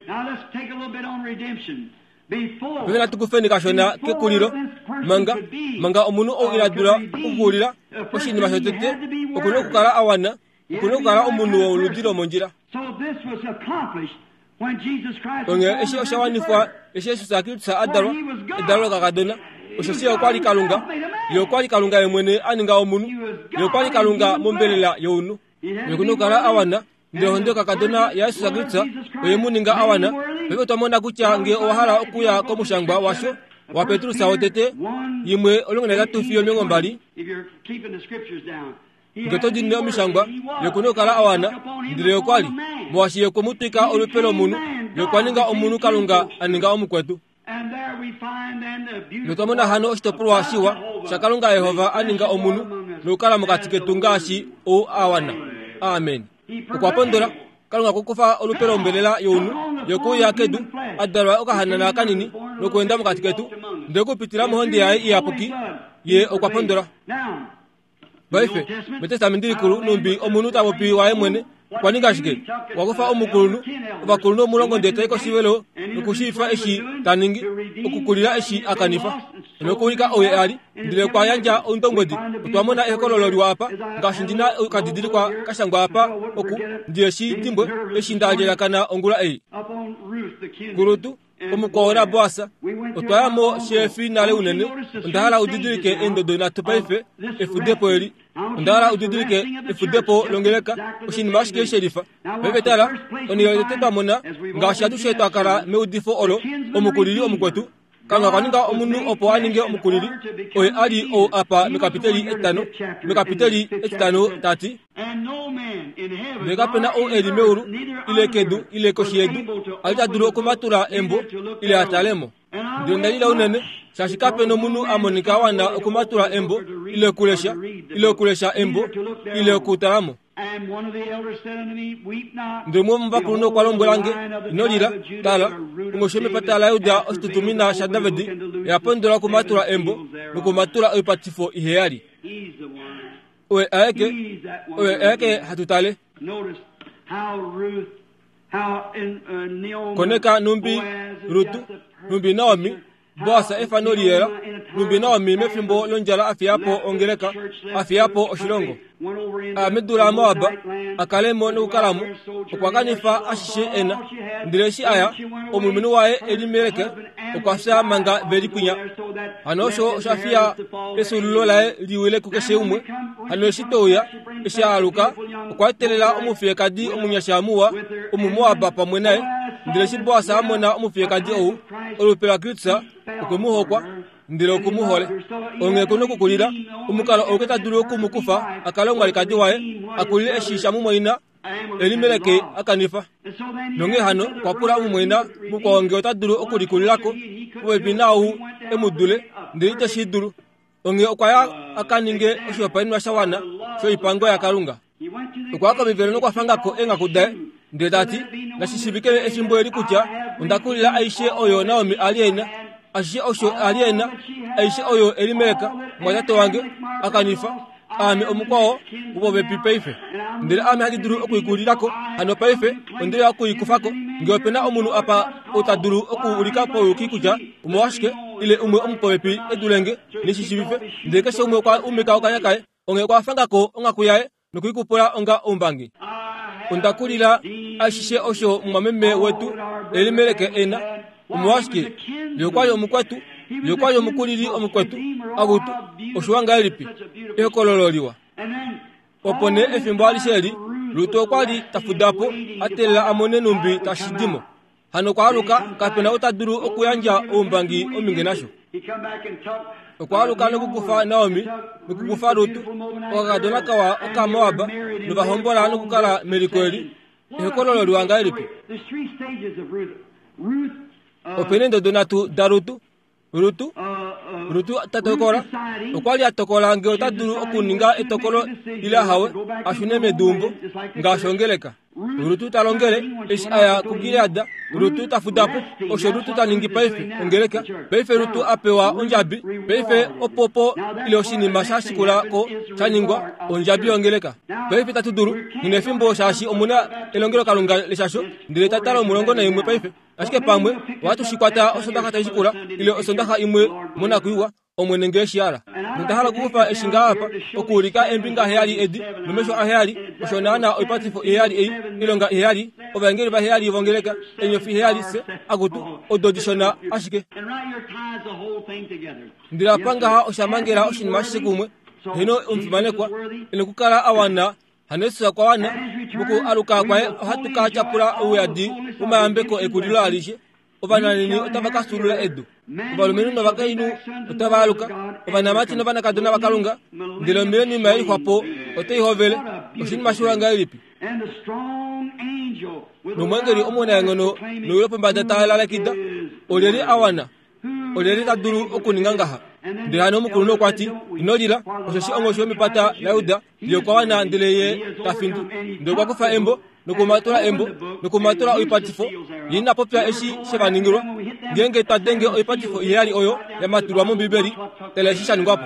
Paife natu kufeni kashona kekulilo, manga, manga omunhu ou ina dula okukulila, oshinima shotete, oku na okukala a wana, oku na okukala omunhu woludi lomondjila. Onghee eshi osha wanifwa eshi Jesus Kristus a dalwa, edalo lokakadona, osheshi Ye okwa li Kalunga, Ye okwa li Kalunga Ye mwene a ninga omunhu, Ye okwa li Kalunga mombelela younhu. Ye oku na okukala a wana, ndele ohonde yokakadona yaJesus Kristus oye mu ninga a wana. Paife otwa mona kutya ngee owa hala okuya komushangwa washo waPetrus wotete, 1:18 fiyo 20, Nge to diinine omishangwa, ye ku na okukala a wana, ndele ye okwa li, molwaashi ye okwe mu twika olupe lomunhu, ye okwa ninga omunhu Kalunga a ninga omukwetu. Notwa mona hano oshitopolwa shiwa shaKalunga Yehova a ninga omunhu nokukala mokati ketu ngaashi ou a wana. Amen. Okwa pondola. Kalunga okwa kufa olupe lombelela younhu yokuuya kedu, a dalwa okahanana kanini nokuenda mokati ketu, ndele okupitila mohonde yaye iyapuki, ye okwa pondola. Paife, mEtestamenti Likulu, numbi omunhu ta popi waye mwene, okwa ninga shike? Okwa kufa omukulunhu, ovakulunhu omulongo ndele tai koshivelo nokushiivifa eshi ta ningi, okukulila eshi a kanifa, nokuulika ou ye a li, ndele okwa yandja oundombwedi. Otwa mona ehokololo liwa apa, ngaashi ndi na okadidilikwa ka shangwa apa, oku, ndihe shi dimbwe, eshi nda lyelakana ongula ei. Kulutu, Omukwao naBoas, otwa ya mo sheefi nale unene. Onda hala u didilike eendodo nhatu paife, efudepo eli. Onda hala u didilike efudepo longeleka, oshinima ashike shelifa. Paife tala, onhele yotete twa mona, ngaashi atushe twa kala meudifo olo, omukulili omukwetu. Kalunga okwa ninga omunhu opo a ninge omukulili, oye a li ou apa mekapiteli etitano, mekapiteli etitano ta ti, Ndele kape na ou e li meulu, ile kedu, ile koshi yedu, a li ta dulu okumatula embo, ile a tale mo. Ndele onda lila unene, shaashi kape nomunhu a monika a wana okumatula embo, ile okulesha, ile okulesha embo, ile okutala mo. Ndele umwe womovakulunhu okwa lombwela nge, Ino lila, tala, onghoshi yomepata laJuda oshitutumina shaDavid, oya pondola okumatula embo nokumatula oipatifo iheyali. Oye aeke, oye aeke hatu tale. Koneka numbi Rutu, numbi Naomi, Boas efano liyela, numbi Naomi mefimbo londjala a fiya po ongeleka, a fiya po oshilongo. A medu laMoab, a kale mo nokukala mo, okwa kanifa ashishe e na. Ndele eshi a ya, omulumenhu waye Elimelek okwa fya manga ve li kwinya. Hano osho osha fiya efyuululo laye li wile kukeshe umwe. Hano eshi te uya, eshi a aluka, okwa etelela omufiyekadi omunyasha muwa, Omumoab pamwe naye. Ndele eshi Boas a mona omufiyekadi ou, olupe laKristus, okwe mu hokwa, ndele oku mu hole. Onghee ku nokukulila, omukalo ouke ta dulu oku mu kufa a kale omwalikadi waye, a kulile eshi shamumwaina Elimelek a kanifa. Nonghee hano okwa pula omumwaina mukwao ngee ota dulu okulikulila ko popepi naau e mu dule, ndele ite shi dulu. Onghee okwa ya a ka ninge oshihopaenenwa sha wana shoipango yaKalunga. Okwa ya komivelo nokwa fanga ko eenghaku daye. Ndele ta ti, Nashi shiivike efimbo eli kutya onda kulila aishe oyo Naomi a li e na, ashishe osho a li e na, aishe oyo Elimelek, omumwatate wange, a kanifa, aame omukwao wopopepi paife. Ndele ame handi dulu oku i kulila ko, hano paife onde uya oku i kufa ko. Nge ope na omunhu apa ou ta dulu okuulika pauyuki kutya omolwashike, ile umwe omupopepi e dule nge, neshi shiivife. Ndele keshe umwe okwa umika okanya kaye, onghee okwa fanga ko onghaku yaye noku i kupula onga oumbangi. Onda kulila ashishe osho mumwameme wetu Elimelek e na. Omolwashike, ye okwa li omukwetu, ye okwa li omukulili omukwetu. Akutu, oshiwa ngahelipi! Ehokololo liwa. Opo nee efimbo alishe eli, Rut okwa li ta fuda po, a teelela a mone nhumbi tashi di mo. Hano okwa aluka, kape na ou ta dulu okuyandja oumbangi ominge nasho. Okwa aluka nokukufa Naomi nokukufa Rut, okakadona kawa Okamoab, nova hombola nokukala meliko eli. Ehokololo liwa ngahelipi! Ope na eendodo nhatu daRut. Rutu, Rutu ta tokola, okwa li a tokola ngee ota dulu okuninga etokolo ile ahawe a shune meduumbo ngaashi ongeleka. Rutu ta longele eshi a ya kuGilead, Rutu ta fuda po. Osho Rutu ta ningi paife, ongeleka. Paife Rutu a pewa ondjabi, paife opopo ile oshinima sha shikula ko sha ningwa, ondjabi yongeleka. Paife itatu dulu, nghi efimbo shaashi omu na elongelokalunga leshasho, ndele ta tala 11 paife. Ashike pamwe ohatu shi kwata Osondaxa tai shikula, ile Osondaxa imwe monakwiiwa, Omwene nge eshi hala. Nonda hala okukufa eshi ngaha apa, okuulika eembinga heyali edi, nomesho aheyali, osho naana oipatifo iheyali ei, oilonga iheyali, ovaengeli vaheyali vongeleka, eenyofi heyali, se, akutu, odo dishona ashike. Ndele apa ngaha osha mangela oshinima ashishe kumwe. Heeno, omufimanekwa, e nokukala a wana Hano Jesus okwa wana. Mokualuka kwaye ohatu ka tyapula ouyadi womayambeko ekulilo alishe. Ovananheni otava ka fyuulula edu. Ovalumenhu novakainhu otava aluka, ovanamati novanakadona vaKalunga, ndele omileniuma ye lixwa po otai hovele. Oshinima shiwa ngahelipi! Nomweengeli omunaenghono newi lopombada ta lalekida, Olyelye a wana? Olyelye ta dulu okuninga ngaha? Ndele hano omukulunhu okwa ti, Ino lila, osheshi onghoshi yomepata laJuda ye okwa wana ndele ye ta findi. Ndele okwa kufa embo nokumatula embo nokumatula oipatifo, ye ina popya eshi she va ningilwa. Ngeenge twa denge oipatifo iheyali oyo ya matulwa mOmbibeli, tala eshi sha ningwa po.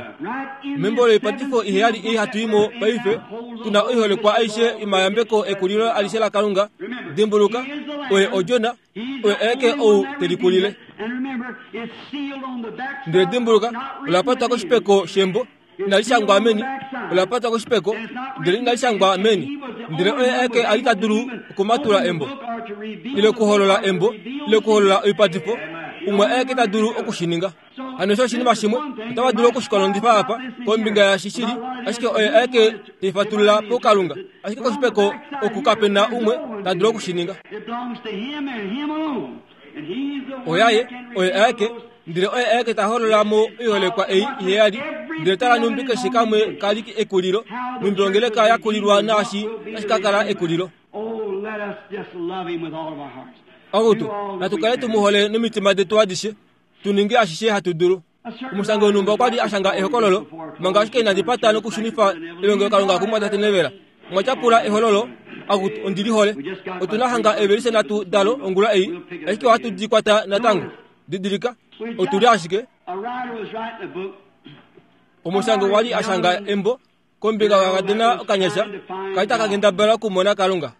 Membo loipatifo iheyali ei hatu i mo paife, tu na oiholekwa aishe yomayambeko ekulilo alishe laKalunga. Dimbuluka, oye Odjona, Oye aeke ou te likulile. Ndele dimbuluka, ola patwa koshipeko shembo, inali shangwa meni. Ola patwa koshipeko, ndele inali shangwa meni. Ndele oye aeke a li ta dulu okumatula embo, ile okuholola embo, ile okuholola oipatifo. Umwe aeke ta dulu oku shi ninga. Hano osho oshinima shimwe otava dulu oku shi kolongifa apa kombinga yashi shili, ashike oye aeke tei fatulula puKalunga. Ashike koshipeko oku kape na umwe ta dulu oku shi ninga. Oyaye, oye aeke, ndele oye aeke ta holola mo oiholekwa ei iheyali. Ndele tala nhumbi keshe kamwe ka li ekulilo, nhumbi ongeleka ya kulilwa naashi tashi ka kala ekulilo. Akutu, natu kale tu mu hole nomitima detu adishe. tu ninge ashishe hatu dulu. Omushangi wonhumba okwa li a shanga ehokololo manga ashike inandi pata nokushunifa elongelokalunga kumwatate Nevela. Omwa tyapula ehololo, akutu, ondi li hole. Otu na hanga eevelise nhatu dalo ongula ei, ashike ohatu di kwata natango. Didilika, otu li ashike. Omushangi okwa li a shanga embo kombinga yokakadona okanyasha ka li taka kendabala okumona Kalunga.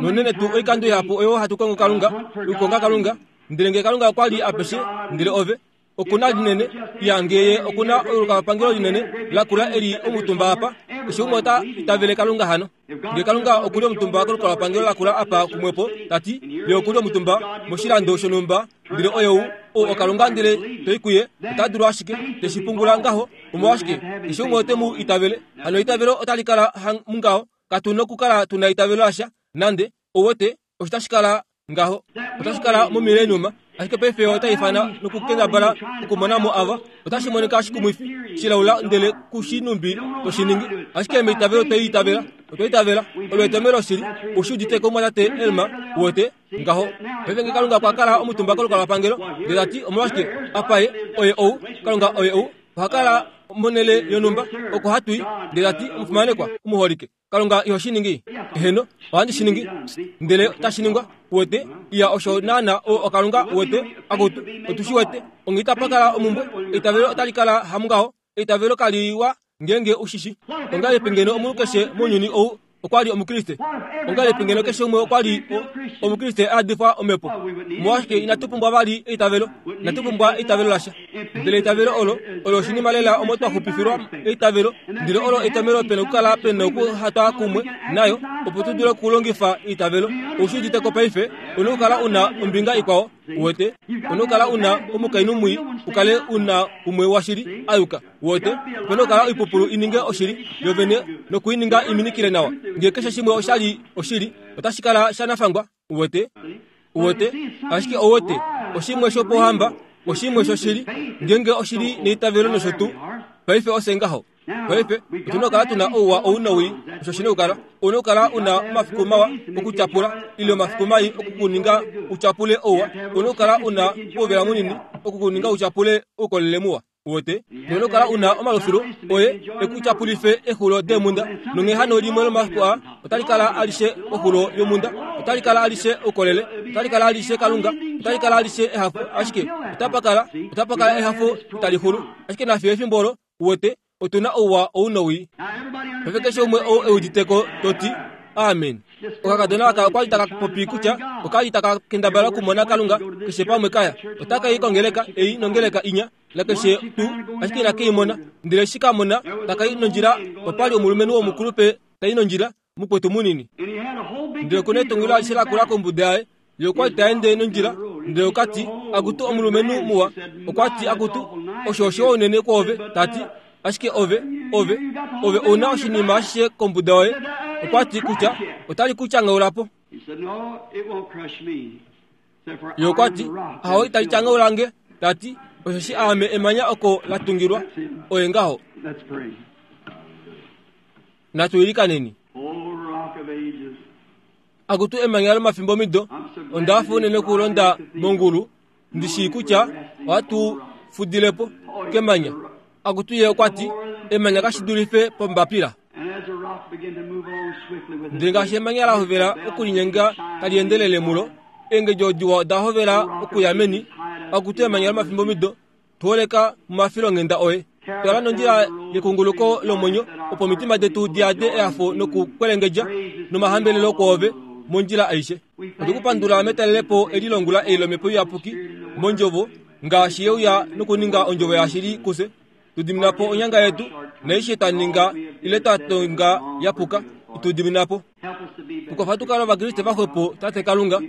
Nounene tuu oikando ihapu oyo hatu kongo Kalunga, okukonga Kalunga, ndele ngee Kalunga okwa li apeshe, ndele ove, oku na linene, iya ngee ye oku na olukalwapangelo linene lakula eli omutumba apa, keshe umwe ota itavele Kalunga hano. Ngee Kalunga oku li omutumba kolukalwapangelo lakula apa kumwepo, ta ti, ye oku li omutumba moshilando shonhumba, Ndele oye ou, ou oKalunga ndele to i kuye, ota dulu ashike, te shi pungula ngaho. Omolwashike, keshe umwe ote mu itavele. Hano eitavelo otali kala mungaho. Katu nokukala tu na eitavelo lasha, nande, ou wete, osho tashi kala ngaho. Otashi kala momileniuma. Ashike paife otai ifana nokukendabala okumona mo ava. Otashi monika shikumwifi, shilaula ndele ku shi numbi to shi ningi. Ashike meitavelo twei itavela. Otwa itavela. Olo etomhelo shili. Ou shi udite ko, Mumwatate Elmer, uwete? Ngaho, paife nge Kalunga okwa kala omutumba kolukalwapangelo, ndele ta ti, Omolwashike, apa Ye, Oye ou, Kalunga oye ou, oha kala Monhele yonhumba oko hatu i, ndele ta ti, Omufimanekwa, omuholike, Kalunga iho shi ningi? Eheno, ohandi shi ningi. Ndele otashi ningwa. Uwete? Iya, osho naana o, oKalunga, uwete. Akutu, otu shi wete. Onghee itapa kala omumbwe. Eitavelo otali kala hamungaho. Eitavelo kali wa ngeenge u shi shi. Ongahelipi ngeno omunhu keshe mounyuni ou okwa li Omukriste? Ongahelipi ngeno keshe umwe okwa li o, Omukriste a yadifwa Omhepo? Omolwashike inatu pumbwa vali eitavelo? Inatu pumbwa eitavelo lasha. Ndele eitavelo olo olo oshinima lela omo twa xupifilwa eitavelo, ndele olo etomhelo pena okukala pena okuhatwa kumwe nayo opo tu dule okulongifa eitavelo. Ou shi udite ko paife? Ou na okukala u na ombinga ikwao, uwete. Ou na okukala u na omukainhu mwii u kale u na umwe washili a yuka, uwete. Ope na okukala oipupulu i ninge oshili yovene noku i ninga i minikile nawa. Ngee keshe shimwe osha li oshili, otashi kala shanafangwa. Uwete? Uwete? Ashike ouwete, oshimwe shopohamba, oshimwe shoshili, ngeenge oshili neitavelo nosho tuu. Paife ose ngaho. Paife, otu na okukala tu na ouwa ou nowii, osho shi na okukala. Ou na okukala u na omafiku mawa okutyapula, ile omafiku mai oku ku ninga u tyapule ouwa. Ou na okukala u na ouvela munini oku ku ninga u tyapule oukolele muwa. Uwete? Nono kala u na omalufilu oye e ku tyapulife exulo deemhunda, nonghee hano limwe lomafiku aa otali kala alishe oxulo yomhunda, otali kala alishe oukolele, otali kala alishe Kalunga, otali kala alishe ehafo, ashike otapa kala, otapa kala ehafo itali xulu. Ashike nafiyo efimbo olo, uwete, otu na ouwa ou nowii. Paife keshe umwe ou e udite ko, to ti, Amen. Okakadona aka okwa li taka popi kutya oka li taka kendabala okumona Kalunga keshe pamwe kaya. Otaka i kongeleka ei nongeleka inya, nakeshe tuu, ashike inake i mona. Ndele eshi ka mona taka i nondjila, opa li omulumenhu womukulupe ta i nondjila, mukwetu munini. Ndele oku na etungilo alishe lakula kombuda yaye. Ye okwa li ta ende nondjila, ndele oka ti, Akutu omulumenhu muwa. Okwa ti, Akutu, osho oshiwa unene kwoove. Ta ti, Ashike ove, ove, ove ou na oshinima ashishe kombuda yoye. Okwa ti kutya otali ku tyangaula po. Ye okwa ti, Ahowe, itali tyangaula nge. Ta ti, Osheshi aame emanya oko la tungilwa. Oye ngaho. Natu ilikaneni. Akutu emanya lomafimbomido, onda hafa unene okulonda mongulu, ndi shii kutya ohatu fudile po kemanya. Akutu ye okwa ti, emanya kashi dulife pombapila. Ndele ngaashi emanya la hovela okulinyenga tali endelele mulo, eengedjo diwa oda hovela okuya meni. Akutu emanya lomafimbomido, Tu holeka momafilonghenda oye. Twala nondjila yekunguluko lomwenyo, opo omitima detu di yade ehafo nokukwelengedja nomahambelelo kwoove mondjila aishe. Otwe ku pandula metalelepo eli longula ei lOmhepo Iyapuki mOndjovo, ngaashi ye uya nokuninga Ondjovo yashili kufye. Tu dimina po onyanga yetu, naaishe twa ninga ile twa tonga ya puka, itu dimina po. Tu kwafa tu kale Ovakriste vaxwepo, Tate Kalunga.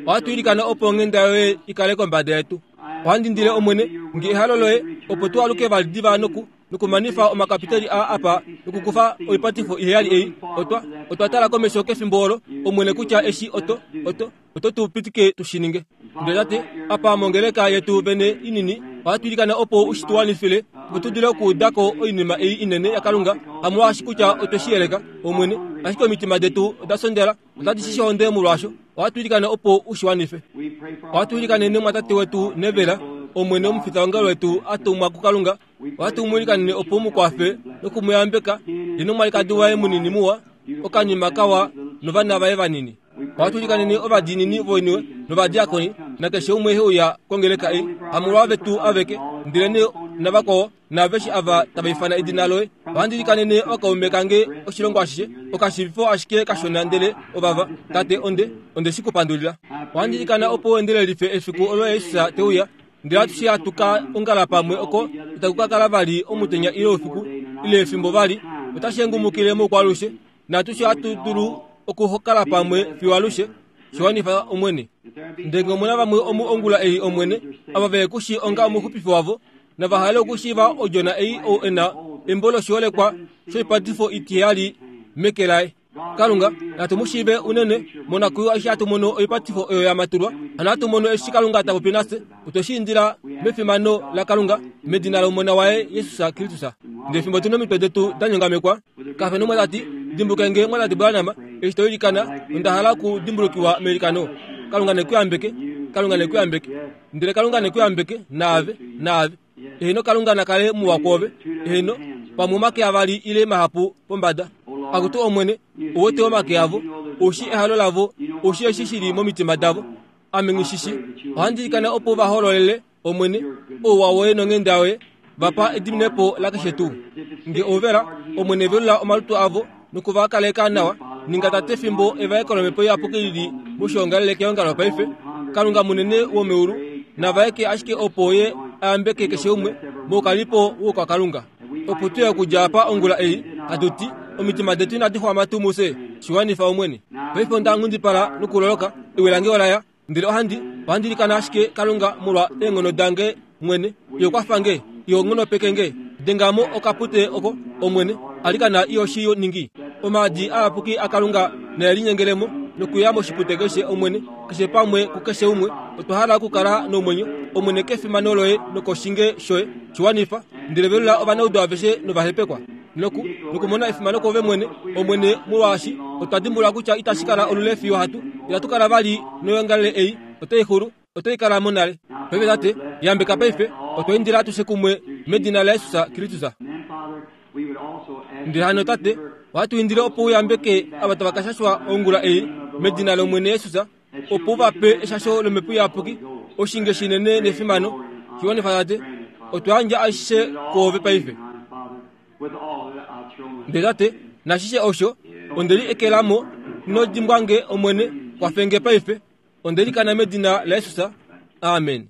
Ohatu ilikana opo onghenda yoye i kale kombada yetu. Ohandi indile Omwene, nge ehalo loye, opo tu aluke vali diva noku, nokumanifa omakapiteli aa apa nokukufa oipatifo iheyali ei. Otwa, otwa tala komesho kefimbo olo, Omwene, kutya eshi oto, oto, oto tu pitike tu shi ninge. Ndele Tate, apa mongeleka yetu vene inini, ohatu ilikana opo u shi tu wanifile, opo tu dule okuuda ko oinima ei inene yaKalunga, hamolwaashi kutya otwe shi yeleka, Omwene, ashike omitima detu oda sondela, otadi shi shonde molwaasho. Ohatu ilikana opo u shi wanife. Ohatu ilikanene mwatate wetu Nevela, Omwene omufitaongalo wetu a tumwa kuKalunga. Ohatu mu ilikanene opo u mu kwafe noku mu yambeka, ye nomwalikadi waye munini muwa, okanima kawa novana vaye vanini. Ohatu ilikanene ovadiinini voiniwe novadiakoni nakeshe umwe he uya kongeleka ei, hamolwavetu aveke, ndelenee navakwao naaveshe ava tava ifana edina loye. Ohandi ilikanene okaume kange oshilongo ashishe, okashivifo ashike kashona ndele ovava, Tate, onde, onde shi ku pandulila. Ohandi ilikana opo u endelelife efiku olo Jesus te uya, ndele atushe hatu ka ongala pamwe oko itaku ka kala vali omutenya ile oufiku ile efimbo vali, otashi hengumukile moukwaalushe, naatushe ohatu dulu okukala pamwe fiyo alushe. Shi wanifa, Omwene. Ndele ngee omu na vamwe omu ongula ei, Omwene, ava ve ku shii onga omuxupifi wavo, nava hale okushiiva Odjona ei ou e na embo loshiholekwa shoipatifo itiheyali meke laye. Kalunga, natu mu shiive unene monakwiiwa eshi hatu mono oipatifo oyo ya matulwa, hano hatu mono eshi Kalunga ta popi nafye. Otwe shi indila mefimano laKalunga, medina lOmona waye Jesus Kristus. Ndele fimbo tu nomitwe detu da nyongamekwa, kafe nomwe ta ti, Dimbuke nge, Mwatate Branham, eshi to ilikana, onda hala okudimbulukiwa meilikano. Kalunga ne ku yambeke. Kalunga ne ku yambeke. Ndele Kalunga ne ku yambeke, naave, naave. Eheno Kalunga na kale muwa kwoove. Eheno, pamwe omake avali ile mahapu pombada. Akutu Omwene, ou wete omake avo, ou shii ehalo lavo, ou shii eshi shi li momitima davo. Ame nghi shi shii. Ohandi ilikana opo va hololele, Omwene, ouwa woye nonghenda yoye, va pa ediminepo lakeshe tuu. Nge ovela, Omwene velula omalutu avo noku va kaleka nawa, ninga Tate fimbo evaeko lOmhepo Iyapuki li li moshiongalele keongalo paife. Kalunga munene womeulu, na vaeke ashike opo Ye a yambeke keshe umwe moukalipo wOukwakalunga. Opo tu ye okudja apa ongula ei, hatu ti, Omitima detu inadi xwama tuu mufye? Shi wanifa, Omwene. Paife onda nghundipala nokuloloka, ewi lange ola ya. Ndele ohandi, ohandi ilikana ashike Kalunga molwa eenghono dange mwene. Iho kwafa nge, iho nghonopeke nge. Denga mo okapute oko, Omwene. Alikana iho shi ningi. Omaadi ayapuki aKalunga nae linyengele mo nokuya moshipute keshe, Omwene, keshe pamwe kukeshe umwe. Otwa hala okukala nomwenyo, Omwene, kefimano loye nokoshinge shoye. Shi wanifa. Ndele velula ovanaudu aveshe novahepekwa. Noku, nokumona efimano kwoove mwene, Omwene, molwaashi otwa dimbulula kutya itashi kala olule fiyo hatu, itatu kala vali noyoongalele ei, otai xulu, otai kala mo nale. Paife, Tate, yambeka paife, otwa indila atushe kumwe medina laJesus Kristus. Ndele hano, Tate, ohatu indile opo u yambeke ava tava ka shashwa ongula ei, medina lOmwene Jesus, opo u va pe eshasho lOmhepo Iyapuki, oshinge shinene nefimano. Shi wanifa, Tate. Otwa yandja aishe kwoove paife. Ndele Tate, nashishe osho, onde li ekela mo. Ino dimbwa nge, Omwene, kwafe nge paife. Onde likana medina laJesus. Amen.